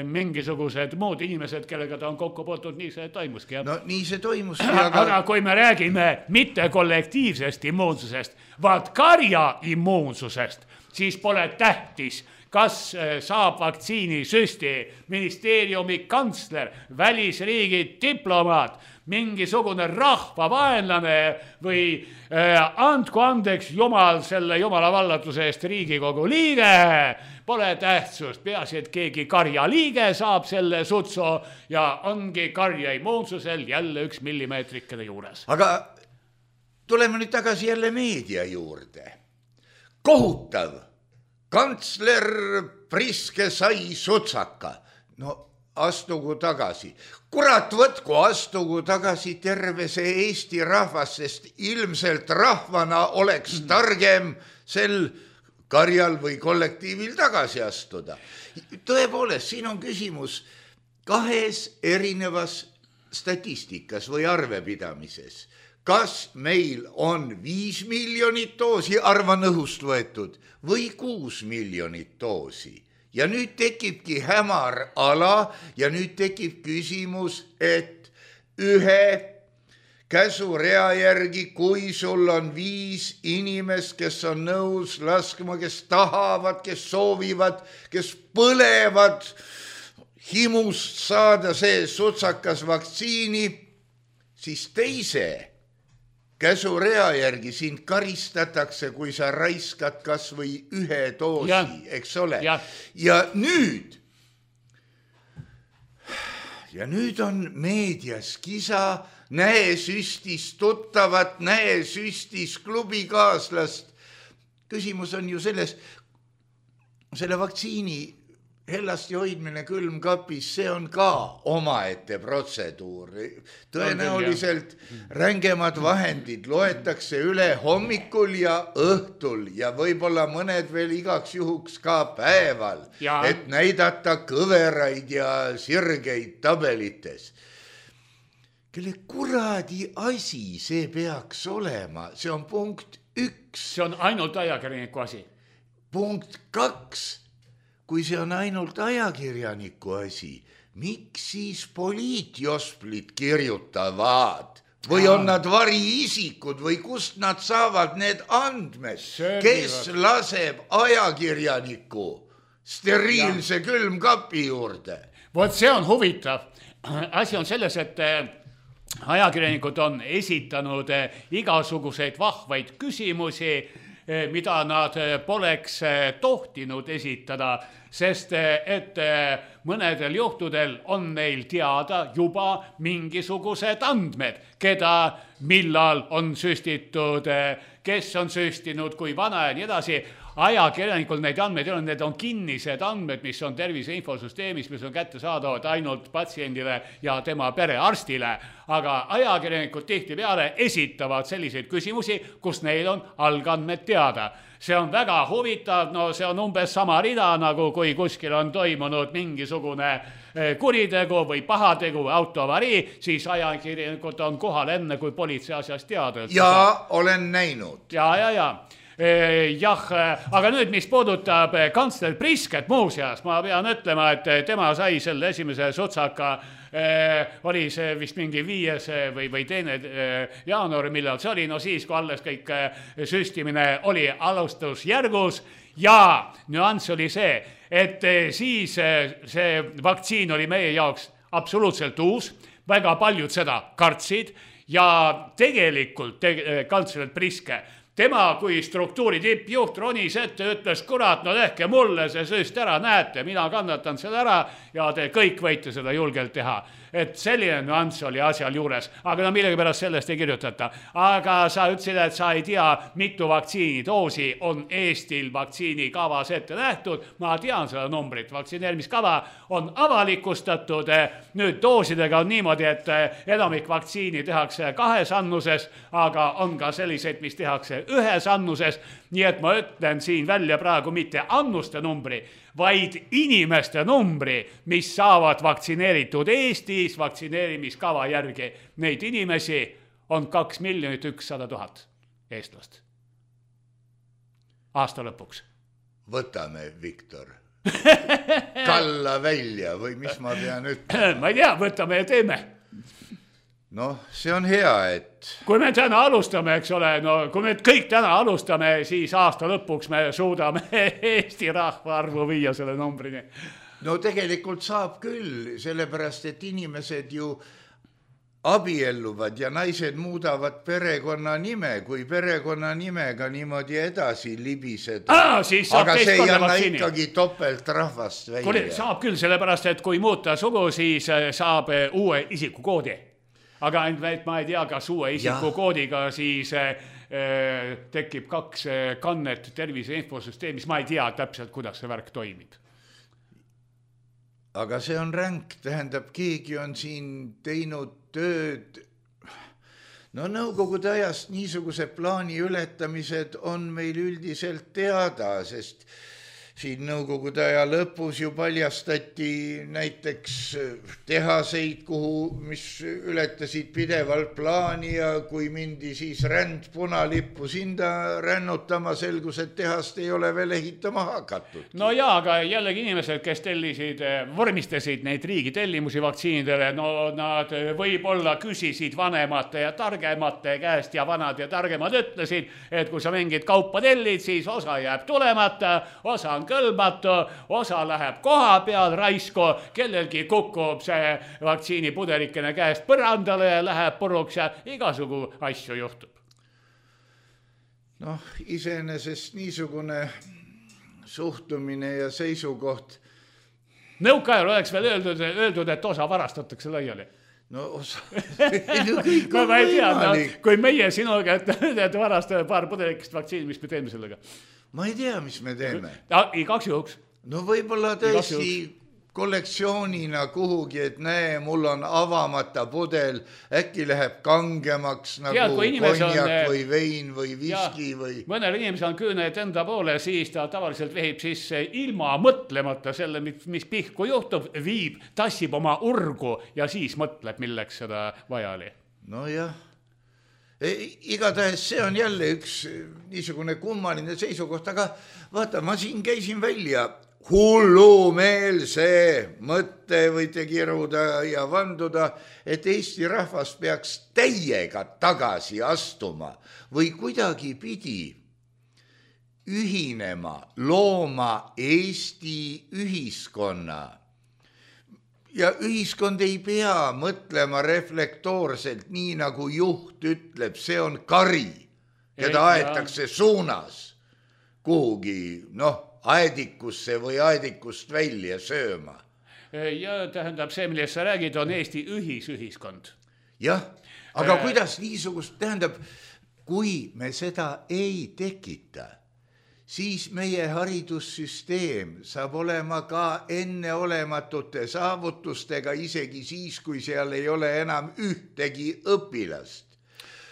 mingisugused muud inimesed, kellega ta on kokku puutunud, nii see toimuski. No nii see toimuski. Aga kui me räägime mitte kollektiivsest immuunsusest, vaid karja immuunsusest, siis pole tähtis, kas saab vaktsiini süsti ministeeriumi kantsler, välisriigi diplomaat, mingisugune rahvavaenlane või andku andeks Jumal selle Jumala vallatuse eest Riigikogu liige. Pole tähtsust, peaasi, et keegi karja liige saab selle sutsu ja ongi karja immuunsusel jälle 1 millimeetrikene juures. Aga tuleme nüüd tagasi jälle meedia juurde. Kohutav. Kantsler Priske sai sutsaka. No astugu tagasi. Kurat võtku, astugu tagasi terve see Eesti rahvas, sest ilmselt rahvana oleks targem sel karjal või kollektiivil tagasi astuda. Tõepoolest, siin on küsimus 2 erinevas statistikas või arvepidamises. kas meil on 5 miljonit doosi, arvan õhust võetud, või 6 miljonit doosi. Ja nüüd tekibki hämar ala ja nüüd tekib küsimus, et ühe käsurea järgi, kui sul on 5 inimest, kes on nõus laskma, kes tahavad, kes soovivad, kes põlevad himust saada see sutsakas vaktsiini, siis teise käsurea järgi sind karistatakse, kui sa raiskad kas või 1 doosi, eks ole. Ja nüüd on meedias kisa, näe süstis tuttavat, näe süstis klubikaaslast. Küsimus on ju selles, selle vaktsiini hellasti hoidmine külmkapis, see on ka omaette protseduur. Tõenäoliselt rängemad vahendid loetakse üle hommikul ja õhtul ja võib-olla mõned veel igaks juhuks ka päeval, et näidata kõveraid ja sirgeid tabelites. Kelle kuradi asi see peaks olema? See on punkt 1. See on ainult ajakirjaniku asi. Punkt 2. Kui see on ainult ajakirjaniku asi, miks siis poliitjosplid kirjutavad? Või on nad variisikud või kust nad saavad need andmed? Kes laseb ajakirjaniku steriilse külmkapi juurde? Vot see on huvitav. Asi on selles, et ajakirjanikud on esitanud igasuguseid vahvaid küsimusi, mida nad poleks tohtinud esitada, sest et mõnedel juhtudel on neil teada juba mingisugused andmed, keda millal on süstitud, kes on süstinud, kui vana ja nii edasi. Ajakirjanikul neid andmeid ei ole, need on kinnised andmed, mis on tervise infosüsteemis, mis on kättesaadavad ainult patsiendile ja tema perearstile. Aga ajakirjanikud tihtipeale esitavad selliseid küsimusi, kus neil on algandmed teada. See on väga huvitav, no see on umbes sama rida, nagu kui kuskil on toimunud mingisugune kuritegu või pahategu või autoavarii, siis ajakirjanikud on kohal enne, kui politsei asjast teada. Ja olen näinud. Ja. Jah, aga nüüd, mis puudutab kantsler Prisket muuseas, ma pean ütlema, et tema sai selle esimese sutsaka, oli see vist mingi 5. või 2. jaanuari, millal see oli, no siis, kui alles kõik süstimine oli alustusjärgus ja nüanss oli see, et siis see vaktsiin oli meie jaoks absoluutselt uus, väga paljud seda kartsid ja tegelikult kantsler Priske, tema kui struktuuri tippjuht ronis ette, ütles, kurat, no tehke mulle see süst ära, näete, mina kannatan seda ära ja te kõik võite seda julgelt teha. Et selline nüanss oli asjal juures, aga no millegipärast sellest ei kirjutata. Aga sa ütlesid, et sa ei tea, mitu vaktsiinidoosi on Eestil vaktsiinikavas ette nähtud. Ma tean seda numbrit, vaktsineerimiskava on avalikustatud. Nüüd doosidega on niimoodi, et enamik vaktsiini tehakse 2 annuses, aga on ka selliseid, mis tehakse 1 annuses. Nii et ma ütlen siin välja praegu mitte annuste numbri, vaid inimeste numbri, mis saavad vaktsineeritud Eestis vaktsineerimiskava järgi. Neid inimesi on 2 100 000 eestlast. Aasta lõpuks. Võtame, Viktor. Kalla välja või mis ma pean ütlema? Ma ei tea, võtame ja teeme. Noh, see on hea, et... Kui me täna alustame, eks ole, no kui me kõik täna alustame, siis aasta lõpuks me suudame Eesti rahvaarvu viia selle numbrini. No tegelikult saab küll, sellepärast, et inimesed ju abielluvad ja naised muudavad perekonna nime, kui perekonna nimega niimoodi edasi libiseda. Aga see ei anna ikkagi topelt rahvast välja. Saab küll, sellepärast, et kui muuta sugu, siis saab uue isikukoodi. Aga ma ei tea, kas uue isikukoodiga siis tekib 2 kannet tervise infosüsteemis. Ma ei tea täpselt, kuidas see värk toimib. Aga see on ränk, tähendab, keegi on siin teinud tööd. No nõukogude ajast niisuguse plaani ületamised on meil üldiselt teada, sest siin nõukogude aja lõpus ju paljastati näiteks tehaseid, mis ületasid pidevalt plaani ja kui mindi siis ränd punalippu sinda rännutama, selgus, et tehast ei ole veel ehitama hakatud. No jaa, aga jällegi inimesed, kes vormistasid neid riigi tellimusi vaktsiinidele, no nad võib-olla küsisid vanemate ja targemate käest ja vanad ja targemad ütlesid, et kui sa mingit kaupa tellid, siis osa jääb tulemata, osa on kõlbatu, osa läheb koha peal raisku, kellelgi kukub see vaktsiinipudelikene käest põrandale ja läheb puruks ja igasugu asju juhtub. Noh, iseenesest niisugune suhtumine ja seisukoht. Nõukaajal oleks veel öeldud, et osa varastatakse laiali. No osa. No ma ei tea, kui meie sinuga, et varastame paar pudelikest vaktsiini, mis me teeme sellega? Ma ei tea, mis me teeme. Igaks juhuks. No võib-olla tõesti kollektsioonina kuhugi, et näe, mul on avamata pudel, äkki läheb kangemaks nagu konjak või vein või viski või... Mõnel inimesel on küüned enda poole, siis ta tavaliselt vehib sisse ilma mõtlemata selle, mis pihku juhtub, viib, tassib oma urgu ja siis mõtleb, milleks seda vaja oli. No jah. Igatahes see on jälle üks niisugune kummaline seisukoht, aga vaata, ma siin käisin välja hullumeelse mõtte võite kiruda ja vanduda, et Eesti rahvas peaks täiega tagasi astuma või kuidagi pidi ühinema, looma Eesti ühiskonna. Ja ühiskond ei pea mõtlema reflektoorselt, nii nagu juht ütleb, see on kari, keda aetakse suunas kuhugi, aedikusse või aedikust välja sööma. Ja tähendab, see, millest sa räägid, on Eesti ühiskond. Jah, aga kuidas niisugust, tähendab, kui me seda ei tekita, siis meie haridussüsteem saab olema ka enneolematute saavutustega, isegi siis, kui seal ei ole enam ühtegi õpilast.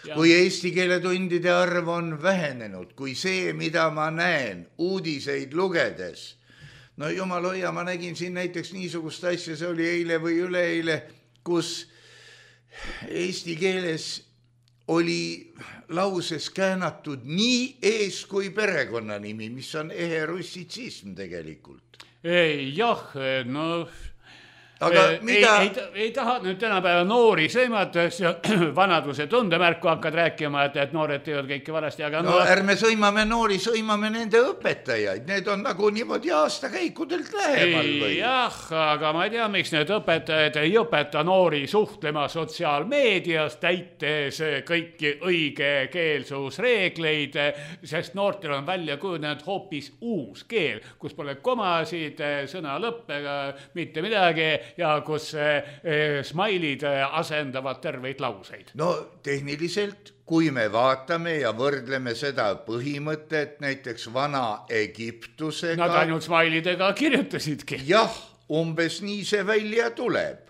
Kui eesti keele tundide arv on vähenenud, kui see, mida ma näen uudiseid lugedes, no jumal hoia, ma nägin siin näiteks niisugust asja, see oli eile või üleeile, kus eesti keeles oli lauses käänatud nii ees kui perekonnanimi, mis on ehe russitsism tegelikult. Jah, no... Aga mida... ei taha nüüd tänapäeva noori sõimates ja vanaduse tundemärku hakkad rääkima, et noored teevad kõike valesti, aga... No ärme sõimame noori, sõimame nende õpetajaid. Need on nagu niimoodi aastakäikudelt lähemal või? Jah, aga ma ei tea, miks need õpetajad ei õpeta noori suhtlema sotsiaalmeedias, täites kõiki õigekeelsusreegleid, sest noortel on välja kujunenud hoopis uus keel, kus pole komasid, sõna lõppega, mitte midagi, ja kus smailid asendavad terveid lauseid. No tehniliselt, kui me vaatame ja võrdleme seda põhimõtet näiteks vana Egiptusega... Nad ainult smailidega kirjutasidki. Jah, umbes nii see välja tuleb.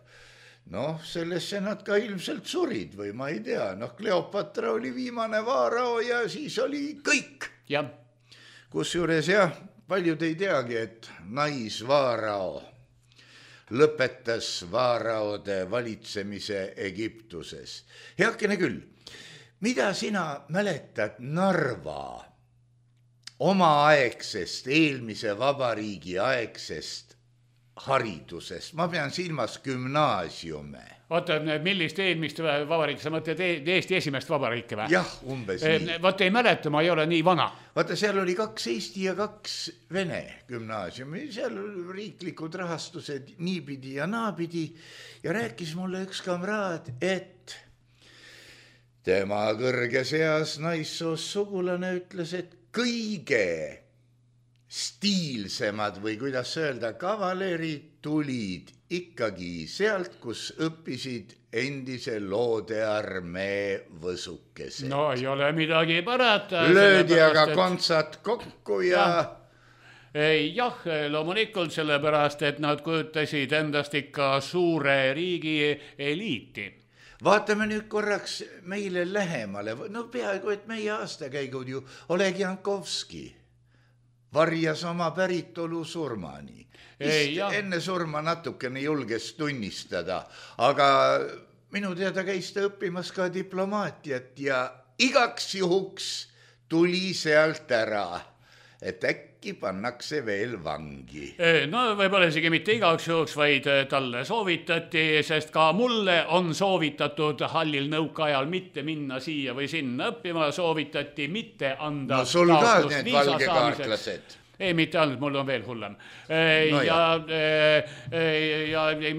Sellesse nad ka ilmselt surid või ma ei tea. Kleopatra oli viimane vaarao ja siis oli kõik. Ja. Kusjuures jah, paljud ei teagi, et naisvaarao lõpetas vaaraode valitsemise Egiptuses. Heakene küll, mida sina mäletad Narva omaaegsest, eelmise vabariigi aegsest haridusest? Ma pean silmas gümnaasiume. Oota, millist eelmist vabariiki, sa mõtled Eesti esimest vabariike või? Jah, umbes nii. Vaat ei mäleta, ma ei ole nii vana. Vaata, seal oli 2 Eesti ja 2 Vene gümnaasiumi, seal riiklikud rahastused niipidi ja naapidi ja rääkis mulle üks kamraad, et tema kõrges eas naissoos sugulane ütles, et kõige stiilsemad või kuidas öelda, kavalerid tulid ikkagi sealt, kus õppisid endise loodearmee võsukesed. No ei ole midagi parata. Löödi aga kontsad kokku ja... Jah, loomulikult sellepärast, et nad kujutasid endast ikka suure riigi eliiti. Vaatame nüüd korraks meile lähemale. Peaaegu, et meie aastakäigud ju Oleg Jankovski, varjas oma päritolu surmani. Enne surma natukene julges tunnistada, aga minu teada käis ta õppimas ka diplomaatiat ja igaks juhuks tuli sealt ära, et äkki pannakse veel vangi. No võib-olla isegi mitte igaks juhuks, vaid talle soovitati, sest ka mulle on soovitatud hallil nõukaajal mitte minna siia või sinna õppima, soovitati mitte anda no sul ka need valgekaartlased. Ei, mitte ainult, mul on veel hullem.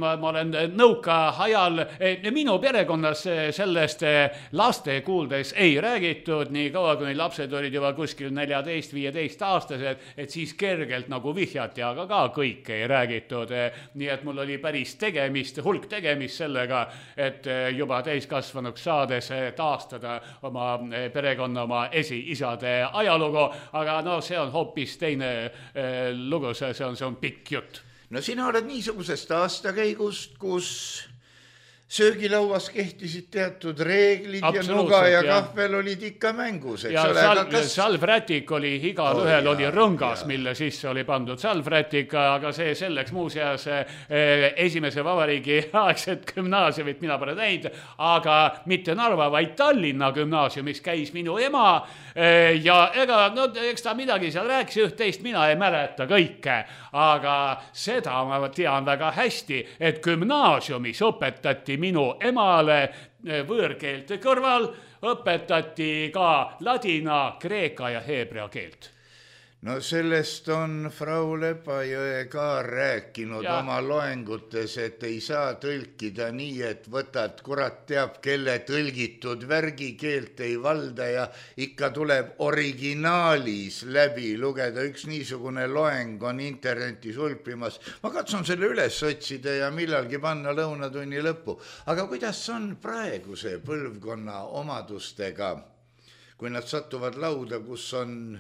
Ma olen nõuka ajal, minu perekonnas sellest laste kuuldes ei räägitud, nii kaua kui lapsed olid juba kuskil 14-15 aastased, et siis kergelt nagu vihjati, aga ka kõik ei räägitud. Nii et mul oli päris hulk tegemist sellega, et juba täiskasvanuks saades taastada oma perekonna, oma esiisade ajalugu, aga no see on hoopis teine lugu, see on pikk jutt. No sina oled niisugusest aastakäigust, kus söögilauas kehtisid teatud reeglid ja nuga ja kahvel olid ikka mängus. Ja salvrätik oli, igal ühel oli rõngas, mille sisse oli pandud salvrätik, aga see selleks muuseas esimese vabariigi aegset gümnaasiumit mina pole näinud, aga mitte Narva, vaid Tallinna gümnaasiumis käis minu ema ja eks ta midagi seal rääkis üht-teist, mina ei mäleta kõike, aga seda ma tean väga hästi, et gümnaasiumis õpetati minu emale võõrkeelte kõrval, õpetati ka ladina, kreeka ja heebrea keelt. No sellest on Frau Lepajõe ka rääkinud oma loengutes, et ei saa tõlkida nii, et võtad kurat teab, kelle tõlgitud värgikeelt ei valda ja ikka tuleb originaalis läbi lugeda. Üks niisugune loeng on internetis ulpimas. Ma katsun selle üles otsida ja millalgi panna lõunatunni lõppu. Aga kuidas on praeguse põlvkonna omadustega, kui nad satuvad lauda, kus on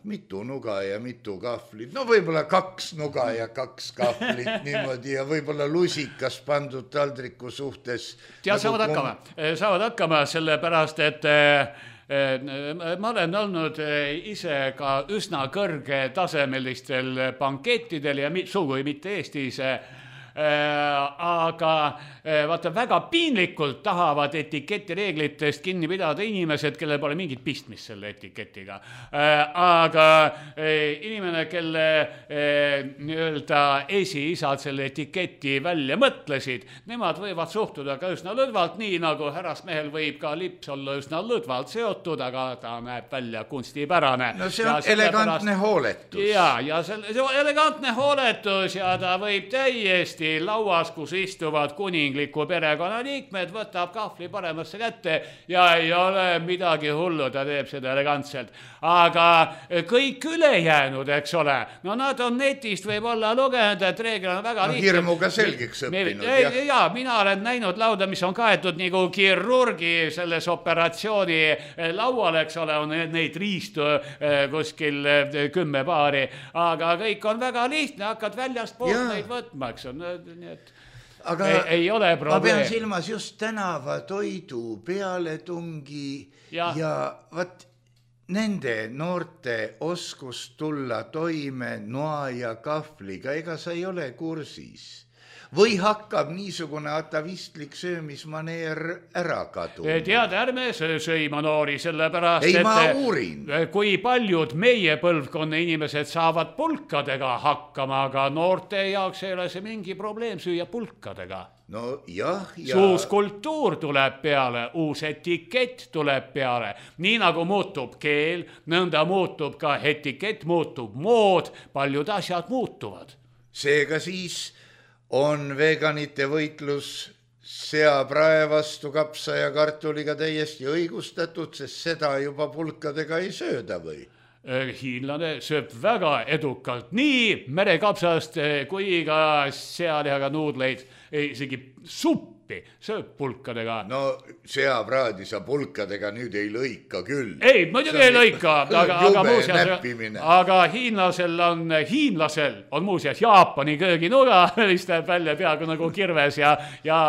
mitu nuga ja mitu kahvlit. No võib-olla 2 nuga ja 2 kahvlit niimoodi ja võib-olla lusikas pandud taldriku suhtes. Ja saavad hakkama sellepärast, et ma olen olnud ise ka üsna kõrgetasemelistel bankettidel ja sugugi mitte Eestis, aga vaata, väga piinlikult tahavad etiketireeglitest kinni pidada inimesed, kellel pole mingit pistmist selle etiketiga. Aga inimene, kelle nii-öelda esiisad selle etiketi välja mõtlesid, nemad võivad suhtuda ka üsna lõdvalt, nii nagu härrasmehel võib ka lips olla üsna lõdvalt seotud, aga ta näeb välja kunstipärane. No see on elegantne hooletus. Ja see on elegantne hooletus ja ta võib täiesti lauas, kus istuvad kuningliku perekonna liikmed, võtab kahvli paremasse kätte ja ei ole midagi hullu, ta teeb seda elegantselt. Aga kõik ülejäänud, eks ole, no nad on netist võib-olla lugenud, et reegel on väga lihtne. Hirmuga selgeks õppinud. Ja mina olen näinud lauda, mis on kaetud nagu kirurgi selles operatsiooni laual, eks ole, on neid riistu kuskil 10 paari, aga kõik on väga lihtne, hakkad väljast poolt neid võtma, eks on. Aga ei ole probleem. Ma pean silmas just tänava toidu pealetungi ja vaat nende noorte oskus tulla toime noa ja kahvliga, ega sa ei ole kursis. Või hakkab niisugune atavistlik söömismaneer ära kaduma? Tead, ärme söima noori, sellepärast, ei, ma uurin. Kui paljud meie põlvkonna inimesed saavad pulkadega hakkama, aga noorte jaoks ei ole see mingi probleem süüa pulkadega. No jah, uus kultuur tuleb peale, uus etikett tuleb peale. Nii nagu muutub keel, nõnda muutub ka etikett, muutub mood, paljud asjad muutuvad. Seega siis on veganite võitlus seaprae vastu kapsa ja kartuliga täiesti õigustatud, sest seda juba pulkadega ei sööda või? Hiinlane sööb väga edukalt nii merekapsast kui ka sealihaga nuudleid, isegi supp suppi, sööb pulkadega. No seapraadi sa pulkadega nüüd ei lõika küll. Ei, muidugi ei lõika, aga hiinlasel on muuseas Jaapani kööginuga, mis teeb välja peaaegu nagu kirves ja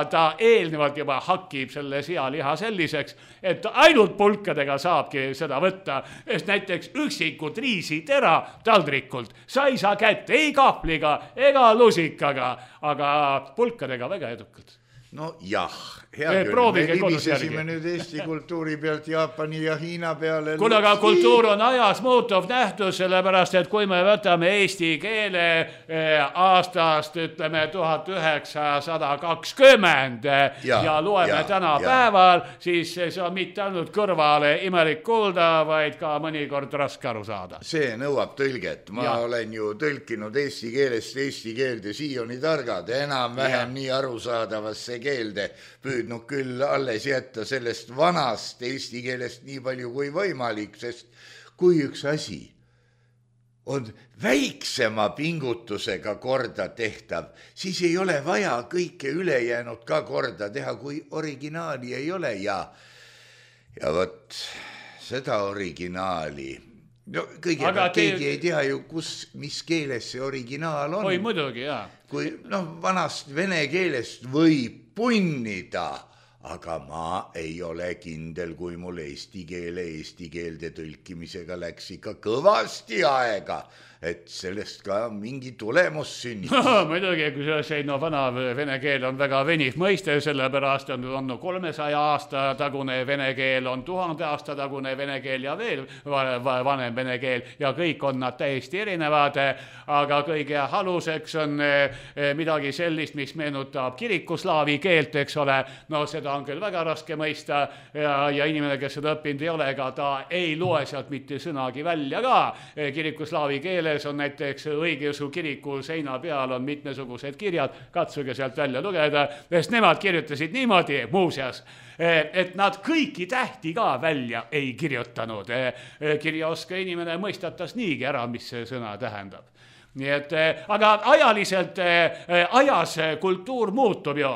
ta eelnevalt juba hakib selle sealiha selliseks, et ainult pulkadega saabki seda võtta, sest näiteks üksikud riisitera taldrikult sa ei saa kätte ei kahvliga ega lusikaga, aga pulkadega väga edukalt. No jah, hea küll, me libisesime nüüd Eesti kultuuri pealt Jaapani ja Hiina peale. Kuule, aga kultuur on ajas muutuv nähtus, sellepärast, et kui me võtame eesti keele aastast, ütleme 1920 ja loeme tänapäeval, siis see on mitte ainult kõrvale imelik kuulda, vaid ka mõnikord raske aru saada. See nõuab tõlget. Ma olen ju tõlkinud eesti keelest eesti keelde siioni targad, enam-vähem nii arusaadavasse keelde püüdnud küll alles jätta sellest vanast eesti keelest nii palju kui võimalik, sest kui üks asi on väiksema pingutusega korda tehtav, siis ei ole vaja kõike ülejäänud ka korda teha, kui originaali ei ole ja võt seda originaali. No kõigepealt keegi ei tea ju, mis keeles see originaal on. Oi, muidugi, jaa. Kui vanast vene keelest võib punnida, aga ma ei ole kindel, kui mul eesti keelde tõlkimisega läks ikka kõvasti aega, et sellest ka mingi tulemus sünnib. Muidugi, kui see vana vene keel on väga veniv mõiste, sellepärast on 300 aasta tagune vene keel, on 1000 aasta tagune vene keel ja veel vanem vene keel ja kõik on nad täiesti erinevad, aga kõige aluseks on midagi sellist, mis meenutab kirikuslaavi keelt, eks ole. No seda on küll väga raske mõista ja inimene, kes seda õppinud ei ole, ega ta ei loe sealt mitte sõnagi välja ka. Kirikuslaavi keeles on näiteks õigeusu kiriku seina peal on mitmesugused kirjad, katsuge sealt välja lugeda, sest nemad kirjutasid niimoodi muuseas, et nad kõiki tähti ka välja ei kirjutanud. Kirjaoska inimene mõistatas niigi ära, mis see sõna tähendab. Nii et, aga ajaliselt ajas kultuur muutub ju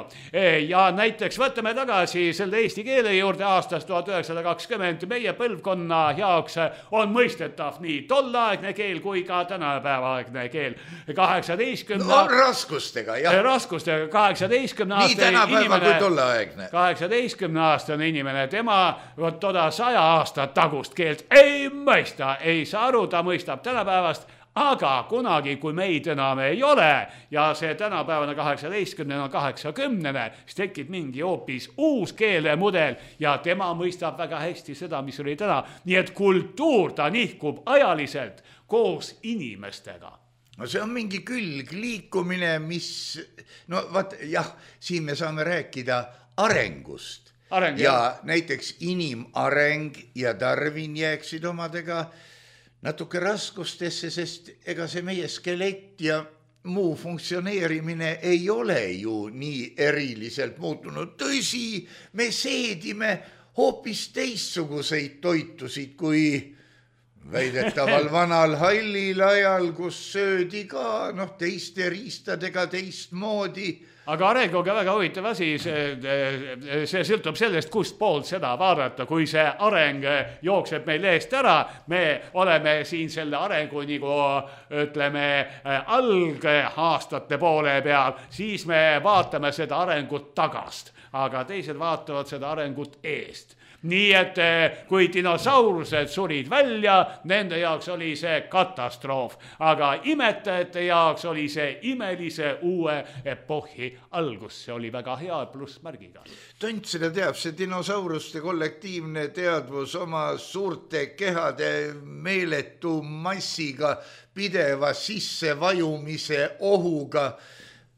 ja näiteks võtame tagasi selle eesti keele juurde aastast 1920 meie põlvkonna jaoks on mõistetav nii tollaegne keel kui ka tänapäevaaegne keel 18 raskustega, jah. Raskustega 18 nii tänapäeva kui tollaegne 18 aastane inimene, tema toda 100 aastat tagust keelt ei mõista, ei saa aru, ta mõistab tänapäevast. Aga kunagi, kui meid enam ei ole ja see tänapäevane 18 on 80, siis tekib mingi hoopis uus keelemudel ja tema mõistab väga hästi seda, mis oli täna. Nii et kultuur ta nihkub ajaliselt koos inimestega. No see on mingi külgliikumine, mis, no vaat jah, siin me saame rääkida arengust. Ja näiteks inimareng ja Darwin jääksid omadega natuke raskustesse, sest ega see meie skelett ja muu funktsioneerimine ei ole ju nii eriliselt muutunud. Tõsi, me seedime hoopis teistsuguseid toitusid kui väidetaval vanal hallil ajal, kus söödi ka teiste riistadega teistmoodi. Aga arenguga väga huvitav asi, see sõltub sellest, kust poolt seda vaadata, kui see areng jookseb meil eest ära, me oleme siin selle arengu nagu ütleme algaastate poole peal, siis me vaatame seda arengut tagast, aga teised vaatavad seda arengut eest. Nii et kui dinosaurused surid välja, nende jaoks oli see katastroof, aga imetajate jaoks oli see imelise uue epohhi algus, see oli väga hea plussmärgiga. Tont seda teab, see dinosauruste kollektiivne teadvus oma suurte kehade meeletu massiga, pideva sissevajumise ohuga.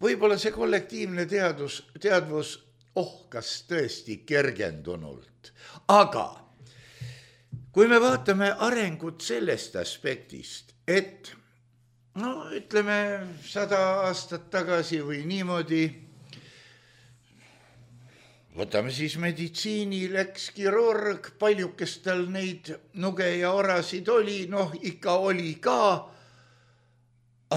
Võib-olla see kollektiivne teadvus kas tõesti kergendunult. Aga kui me vaatame arengut sellest aspektist, et ütleme 100 aastat tagasi või niimoodi, võtame siis meditsiini, läks kirurg, paljukest tal neid nuge ja orasid oli, ikka oli ka,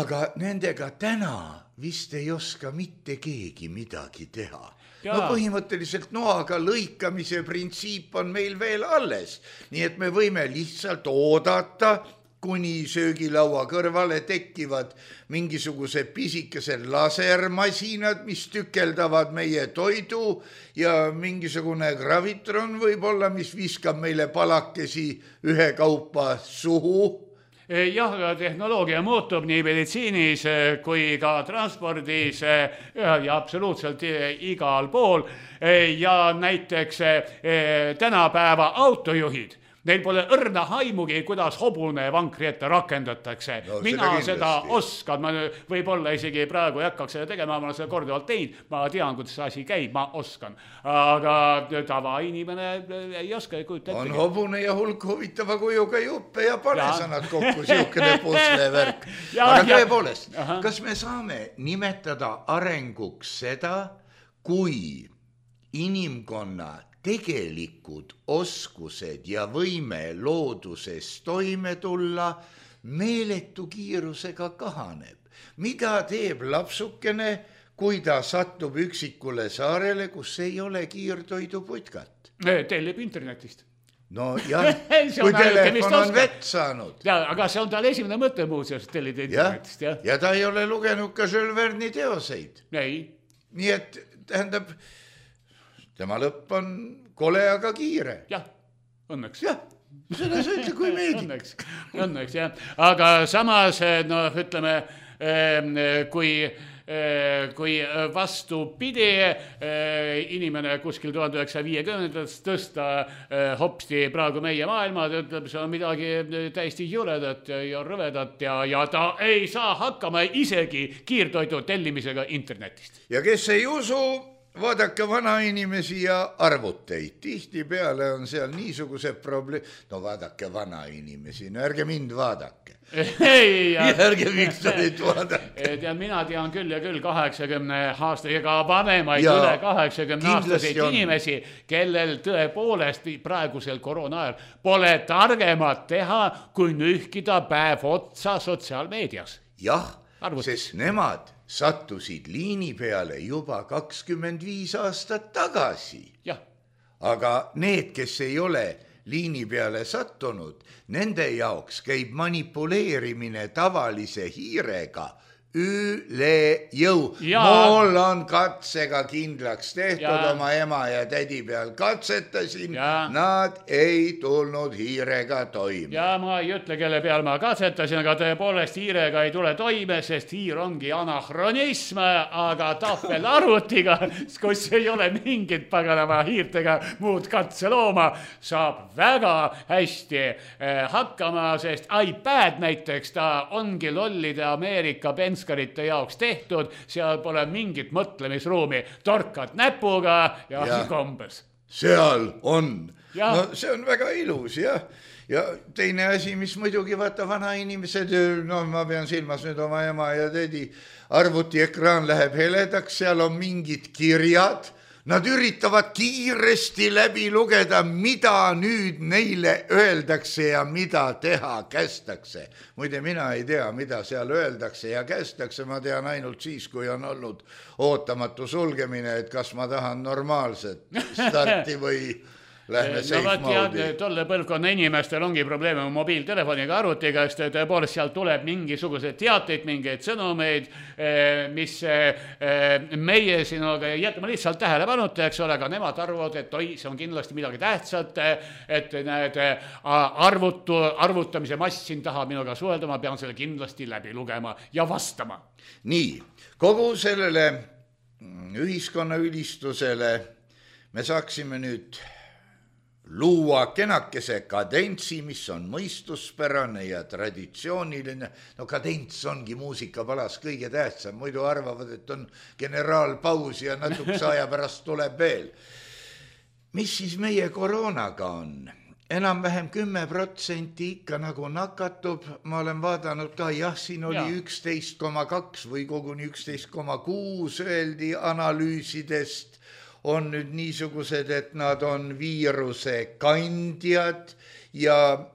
aga nendega täna vist ei oska mitte keegi midagi teha. Jaa. No põhimõtteliselt noaga lõikamise printsiip on meil veel alles, nii et me võime lihtsalt oodata, kuni söögilaua kõrvale tekivad mingisugused pisikesed lasermasinad, mis tükeldavad meie toidu ja mingisugune gravitron võib-olla, mis viskab meile palakesi ühekaupa suhu. Jah, tehnoloogia muutub nii meditsiinis kui ka transpordis ja absoluutselt igal pool ja näiteks tänapäeva autojuhid. Neil pole õrna haimugi, kuidas hobune vankri ette rakendatakse. No, mina seda oskan, ma võib-olla isegi praegu ei hakkaks seda tegema, ma olen seda korduvalt teinud, ma tean, kuidas see asi käib, ma oskan. Aga tavainimene ei oska kujuta ette. On hobune ja hulk huvitava kujuga juppe ja pane sa nad kokku siukene puslevärk. Aga tõepoolest, kas me saame nimetada arenguks seda, kui inimkonna tegelikud oskused ja võime looduses toime tulla meeletu kiirusega kahaneb? Mida teeb lapsukene, kui ta satub üksikule saarele, kus ei ole kiirtoiduputkat? Tellib internetist. No jah, kui telefon on vett saanud. Ja, aga see on tal esimene mõte muuseas, tellida internetist. Ja ta ei ole lugenud ka Jules Verne'i teoseid. Ei. Nii et tähendab, tema lõpp on kole, aga kiire. Jah, õnneks. Jah, seda sa ütle, kui meeldib. Õnneks, jah. Aga samas, no ütleme, kui vastupidi inimene kuskil 1950-ndast tõsta hopsti praegu meie maailma, ta ütleb, see on midagi täiesti juledat ja rõvedat ja ta ei saa hakkama isegi kiirtoidu tellimisega internetist. Ja kes ei usu, vaadake vanainimesi ja arvuteid. Tihtipeale on seal niisugused probleem. No vaadake vanainimesi, no ärge mind vaadake. Ärge miks te neid vaadake. Mina tean küll ja küll 80 aastasega vanemaid üle 80 aastaseid inimesi, kellel tõepoolest praegusel koroona ajal pole targemat teha, kui nühkida päev otsa sotsiaalmeedias. Jah, sest nemad sattusid liini peale juba 25 aastat tagasi. Jah. Aga need, kes ei ole liini peale sattunud, nende jaoks käib manipuleerimine tavalise hiirega üle jõu. Mul on katsega kindlaks tehtud, oma ema ja tädi peal katsetasin, nad ei tulnud hiirega toime. Ja ma ei ütle, kelle peal ma katsetasin, aga tõepoolest hiirega ei tule toime, sest hiir ongi anahronism, aga tahvelarvutiga, kus ei ole mingit paganama hiirtega muud katselooma, saab väga hästi hakkama, sest iPad näiteks, ta ongi lollide Ameerika penskarite jaoks tehtud, seal pole mingit mõtlemisruumi, torkad näpuga ja kombes. Seal on. No see on väga ilus, jah. Ja teine asi, mis muidugi vaata vanainimesed, no ma pean silmas nüüd oma ema ja tädi, arvutiekraan läheb heledaks, seal on mingid kirjad. Nad üritavad kiiresti läbi lugeda, mida nüüd neile öeldakse ja mida teha kästakse. Muide, mina ei tea, mida seal öeldakse ja kästakse. Ma tean ainult siis, kui on olnud ootamatu sulgemine, et kas ma tahan normaalset starti või lähme safe moodi. Tolle põlvkonna inimestel ongi probleeme mobiiltelefoniga, arvutiga, sest tõepoolest seal tuleb mingisugused teateid, mingeid sõnumeid, mis meie sinuga jätame lihtsalt tähelepanuta, eks ole, aga nemad arvavad, et oi, see on kindlasti midagi tähtsat, et need arvutamise mass siin taha minuga suhelda, ma pean selle kindlasti läbi lugema ja vastama. Nii, kogu sellele ühiskonna ülistusele me saaksime nüüd luua kenakese kadentsi, mis on mõistuspärane ja traditsiooniline. No kadents ongi muusikapalas kõige tähtsam, muidu arvavad, et on generaalpaus ja natukese aja pärast tuleb veel. Mis siis meie koroonaga on? Enam-vähem 10% ikka nagu nakatub. Ma olen vaadanud ka, siin oli 11,2 või koguni 11,6 öeldi analüüsidest. On nüüd niisugused, et nad on viiruse kandjad ja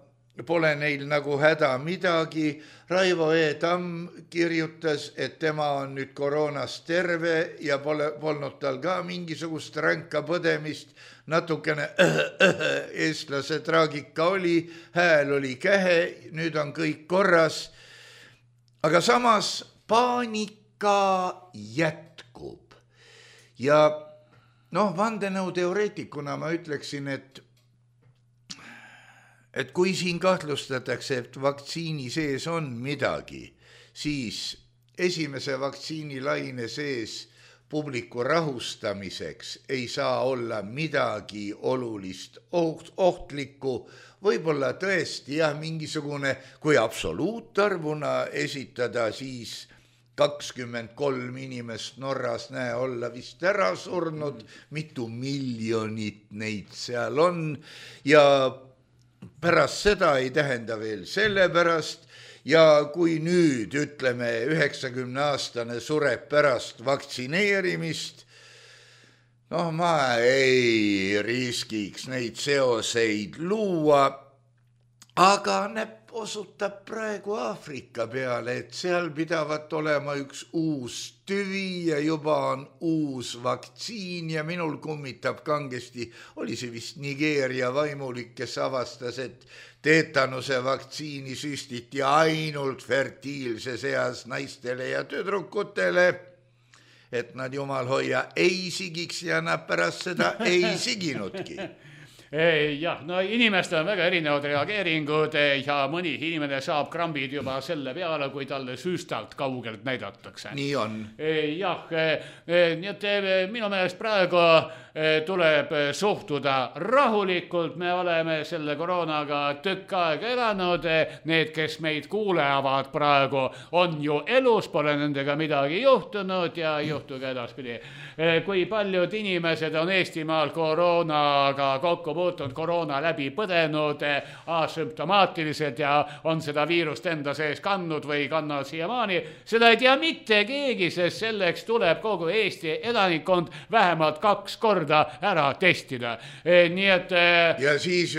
pole neil nagu häda midagi. Raivo E. Tamm kirjutas, et tema on nüüd koroonast terve ja polnud tal ka mingisugust ränka põdemist. Natukene eestlase traagika oli, hääl oli kähe, nüüd on kõik korras. Aga samas paanika jätkub. Ja vandenõuteoreetikuna ma ütleksin, et kui siin kahtlustatakse, et vaktsiini sees on midagi, siis esimese vaktsiinilaine sees publiku rahustamiseks ei saa olla midagi olulist ohtlikku. Võib-olla tõesti mingisugune, kui absoluutarvuna esitada, siis 23 inimest Norras olla vist ära surnud, mitu miljonit neid seal on ja pärast seda ei tähenda veel sellepärast ja kui nüüd ütleme 90-aastane sureb pärast vaktsineerimist, ma ei riskiks neid seoseid luua, aga näpp osutab praegu Aafrika peale, et seal pidavat olema üks uus tüvi ja juba on uus vaktsiin ja minul kummitab kangesti, oli see vist Nigeeria vaimulik, kes avastas, et teetanuse vaktsiini süstiti ainult fertiilses eas naistele ja tüdrukutele, et nad jumal hoia ei sigiks ja nad pärast seda ei siginudki. Jah, inimestel on väga erinevad reageeringud ja mõni inimene saab krambid juba selle peale, kui talle süstalt kaugelt näidatakse. Nii on. Jah, nii et minu meelest praegu tuleb suhtuda rahulikult, me oleme selle koroonaga tükk aega elanud, need, kes meid kuulevad praegu, on ju elus, pole nendega midagi juhtunud ja juhtuge edaspidi. Kui paljud inimesed on Eestimaal koroonaga kokku puutunud, koroona läbi põdenud, asümptomaatilised ja on seda viirust enda sees kandnud või kannavad siiamaani, seda ei tea mitte keegi, sest selleks tuleb kogu Eesti elanikkond vähemalt 2 korda ära testida. Nii et ja siis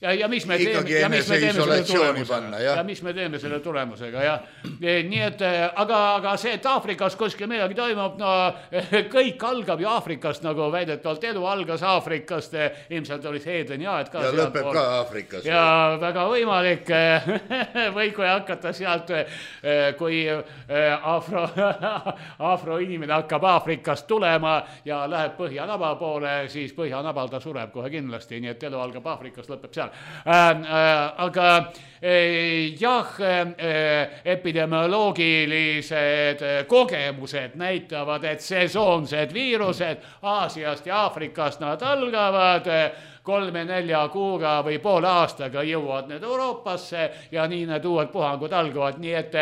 ja mis me teeme selle tulemusega, ja nii et aga see, et Aafrikas kuskil midagi toimub, kõik algab ju Aafrikast, nagu väidetavalt elu algas Aafrikast, ilmselt oli see Edeniaed ka ja lõpeb ka Aafrikas ja väga võimalik või kui hakata sealt, kui afro inimene hakkab Aafrikast tulema ja läheb Põhjanaba poole, siis Põhjanabal ta sureb kohe kindlasti, nii et elu algab Aafrikast, lõpeb seal. Aga jah, epidemioloogilised kogemused näitavad, et sesoonsed viirused Aasiast ja Aafrikast nad algavad 3-4 kuuga või poole aastaga jõuavad need Euroopasse ja nii need uued puhangud algavad, nii et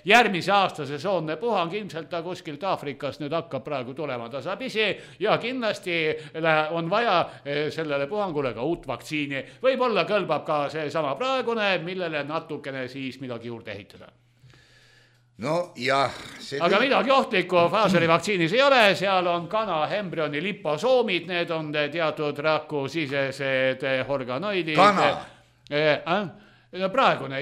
järgmise aasta sesoonne puhang ilmselt ta kuskilt Aafrikast nüüd hakkab praegu tulema tasapisi ja kindlasti on vaja sellele puhangule ka uut vaktsiini. Võib-olla kõlbab ka see sama praegune, millele natukene siis midagi juurde ehitada. No jah. Aga midagi ohtlikku Pfizeri vaktsiinis ei ole, seal on kana embrüoni liposoomid, need on teatud rakusisesed organoidid. Kana? Praegune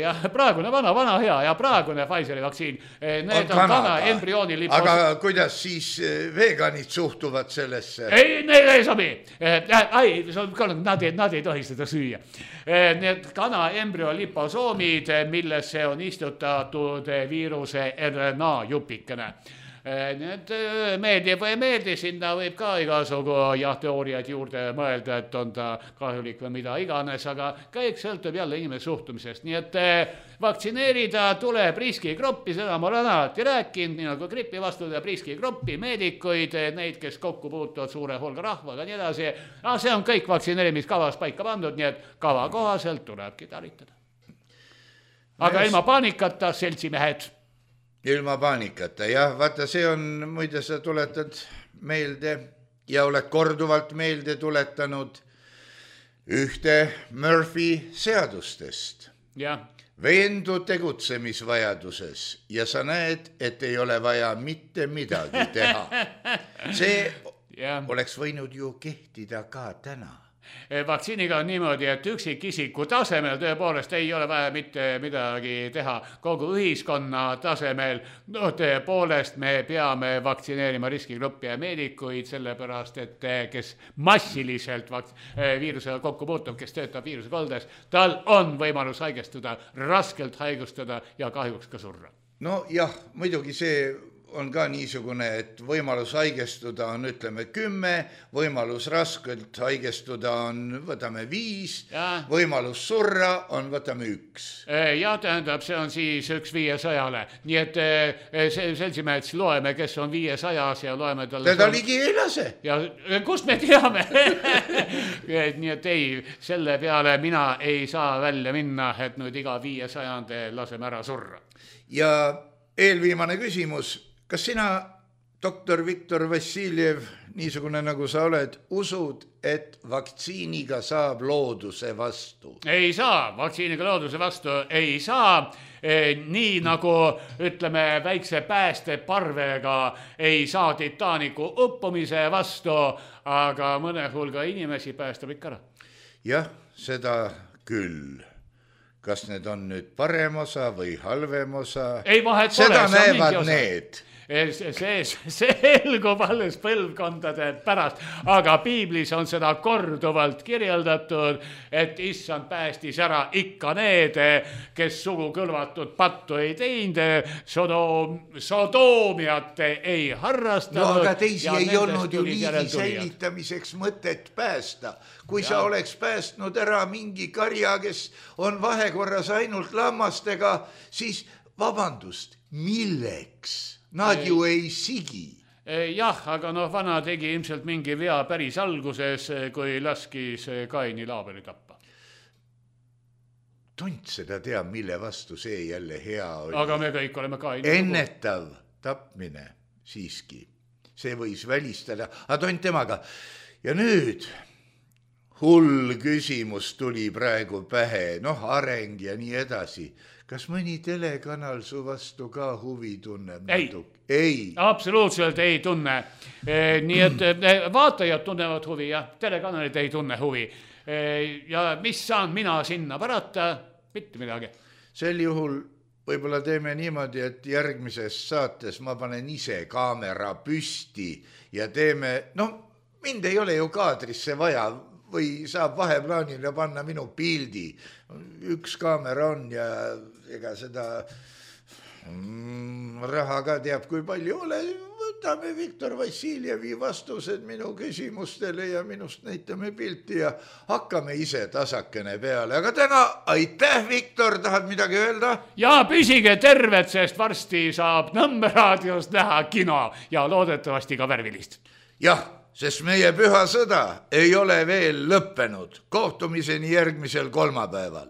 vana hea ja praegune Pfizeri vaktsiin, need on kana embrüoni liposoomid. Aga kuidas siis veganid suhtuvad sellesse? Ei, neil ei sobi. Nad ei tohi seda süüa. Need kana embrüo liposoomid, millesse on istutatud viiruse RNA jupikene. Need meeldib või ei meeldi, sinna võib ka igasugu teooriaid juurde mõelda, et on ta kahjulik või mida iganes, aga kõik sõltub jälle inimese suhtumisest. Nii et vaktsineerida tuleb riskigruppi, seda ma olen alati rääkinud, nii nagu gripi vastu tuleb riskigruppi, meedikuid, neid, kes kokku puutuvad suure hulga rahvaga, nii edasi. See on kõik vaktsineerimiskavas paika pandud, nii et kava kohaselt tulebki talitada. Aga ilma paanikata, seltsimehed. Ilma paanikata, jah, vaata see on, muide sa tuletad meelde ja oled korduvalt meelde tuletanud ühte Murphy seadustest. Jah. Veendu tegutsemisvajaduses ja sa näed, et ei ole vaja mitte midagi teha. See oleks võinud ju kehtida ka täna. vaktsiiniga on niimoodi, et üksikisiku tasemel tõepoolest ei ole vaja mitte midagi teha. Kogu ühiskonna tasemel, no tõepoolest me peame vaktsineerima riskigruppi ja meedikuid, sellepärast, et kes massiliselt viirusega kokku puutub, kes töötab viirusekoldes, tal on võimalus haigestuda, raskelt haigustada ja kahjuks ka surra. No jah, muidugi see on ka niisugune, et võimalus haigestuda on, ütleme, 10, võimalus raskelt haigestuda on, võtame 5, võimalus surra on, võtame 1. Ja tähendab, see on siis 1 500-le. Nii et seltsimeheks loeme, kes on 500 ja loeme talle... Teda ligi ei lase. Ja kust me teame? Nii et ei, selle peale mina ei saa välja minna, et nüüd iga 500 laseme ära surra. Ja eelviimane küsimus. Kas sina, doktor Viktor Vassiljev, niisugune nagu sa oled, usud, et vaktsiiniga saab looduse vastu? Ei saa, vaktsiiniga looduse vastu ei saa. Nii nagu, ütleme, väikse päästeparvega ei saa Titanicu uppumise vastu, aga mõne hulga inimesi päästab ikka ära. Jah, seda küll. Kas need on nüüd parem osa või halvem osa? Ei, vahet pole. Seda näevad need. See selgub alles põlvkondade pärast, aga piiblis on seda korduvalt kirjeldatud, et issand päästis ära ikka need, kes sugu kõlvatud pattu ei teinud, sodoomiat ei harrastanud. No aga teisi ei olnud ju liigi säilitamiseks mõtet päästa. Kui sa oleks päästnud ära mingi karja, kes on vahekorras ainult lammastega, siis vabandust, milleks? Nad ju ei sigi. Jah, aga vana tegi ilmselt mingi vea päris alguses, kui laskis Kaini Laabeli tappa. Tont seda teab, mille vastu see jälle hea oli. Aga me kõik oleme Kaini. Ennetav tapmine siiski. See võis välistada. Aga tont temaga. Ja nüüd hull küsimus tuli praegu pähe. Areng ja nii edasi. Kas mõni telekanal su vastu ka huvi tunneb? Ei, absoluutselt ei tunne. Nii et vaatajad tunnevad huvi ja telekanalid ei tunne huvi. Ja mis saan mina sinna parata? Mitte midagi. Sel juhul võib-olla teeme niimoodi, et järgmises saates ma panen ise kaamera püsti ja teeme, mind ei ole ju kaadrisse vaja, või saab vaheplaanile panna minu pildi. Üks kaamera on ja ega seda raha ka teab, kui palju ole. Võtame Viktor Vassiljevi vastused minu küsimustele ja minust näitame pilti ja hakkame ise tasakene peale. Aga täna aitäh, Viktor, tahad midagi öelda? Ja püsige terved, sest varsti saab Nõmme raadios näha kino ja loodetavasti ka värvilist. Jah. Sest meie püha sõda ei ole veel lõppenud. Kohtumiseni järgmisel kolmapäeval.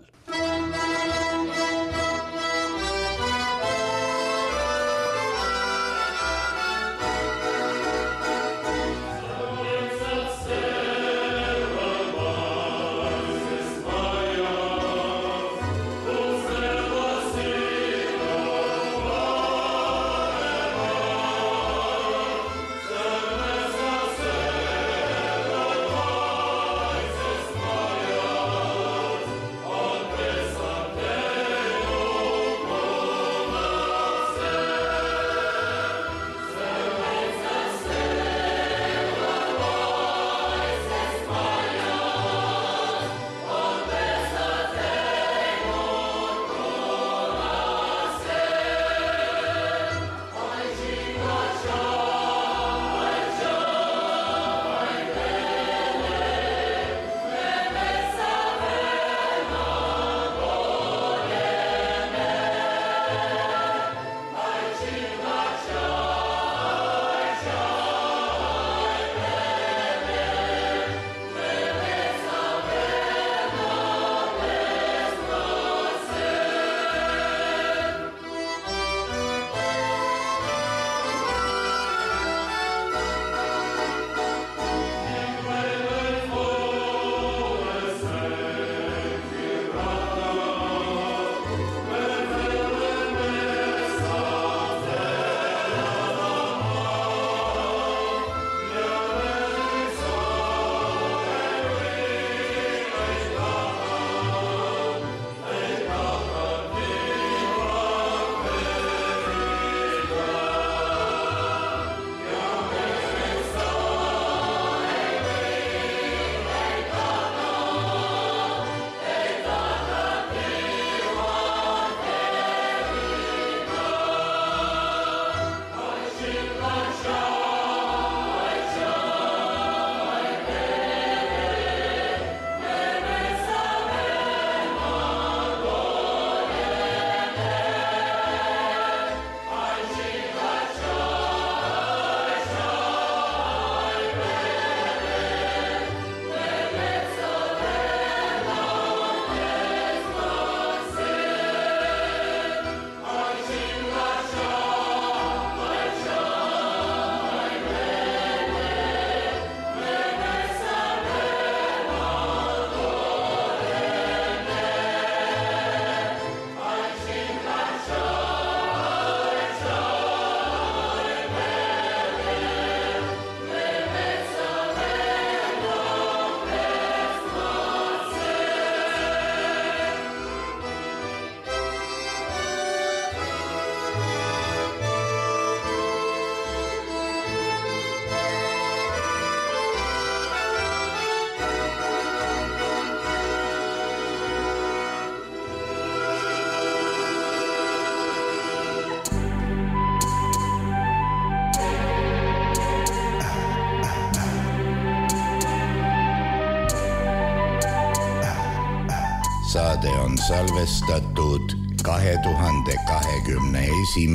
saade on salvestatud 2021.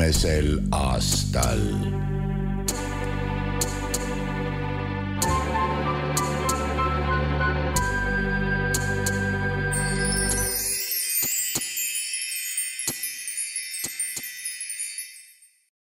aastal.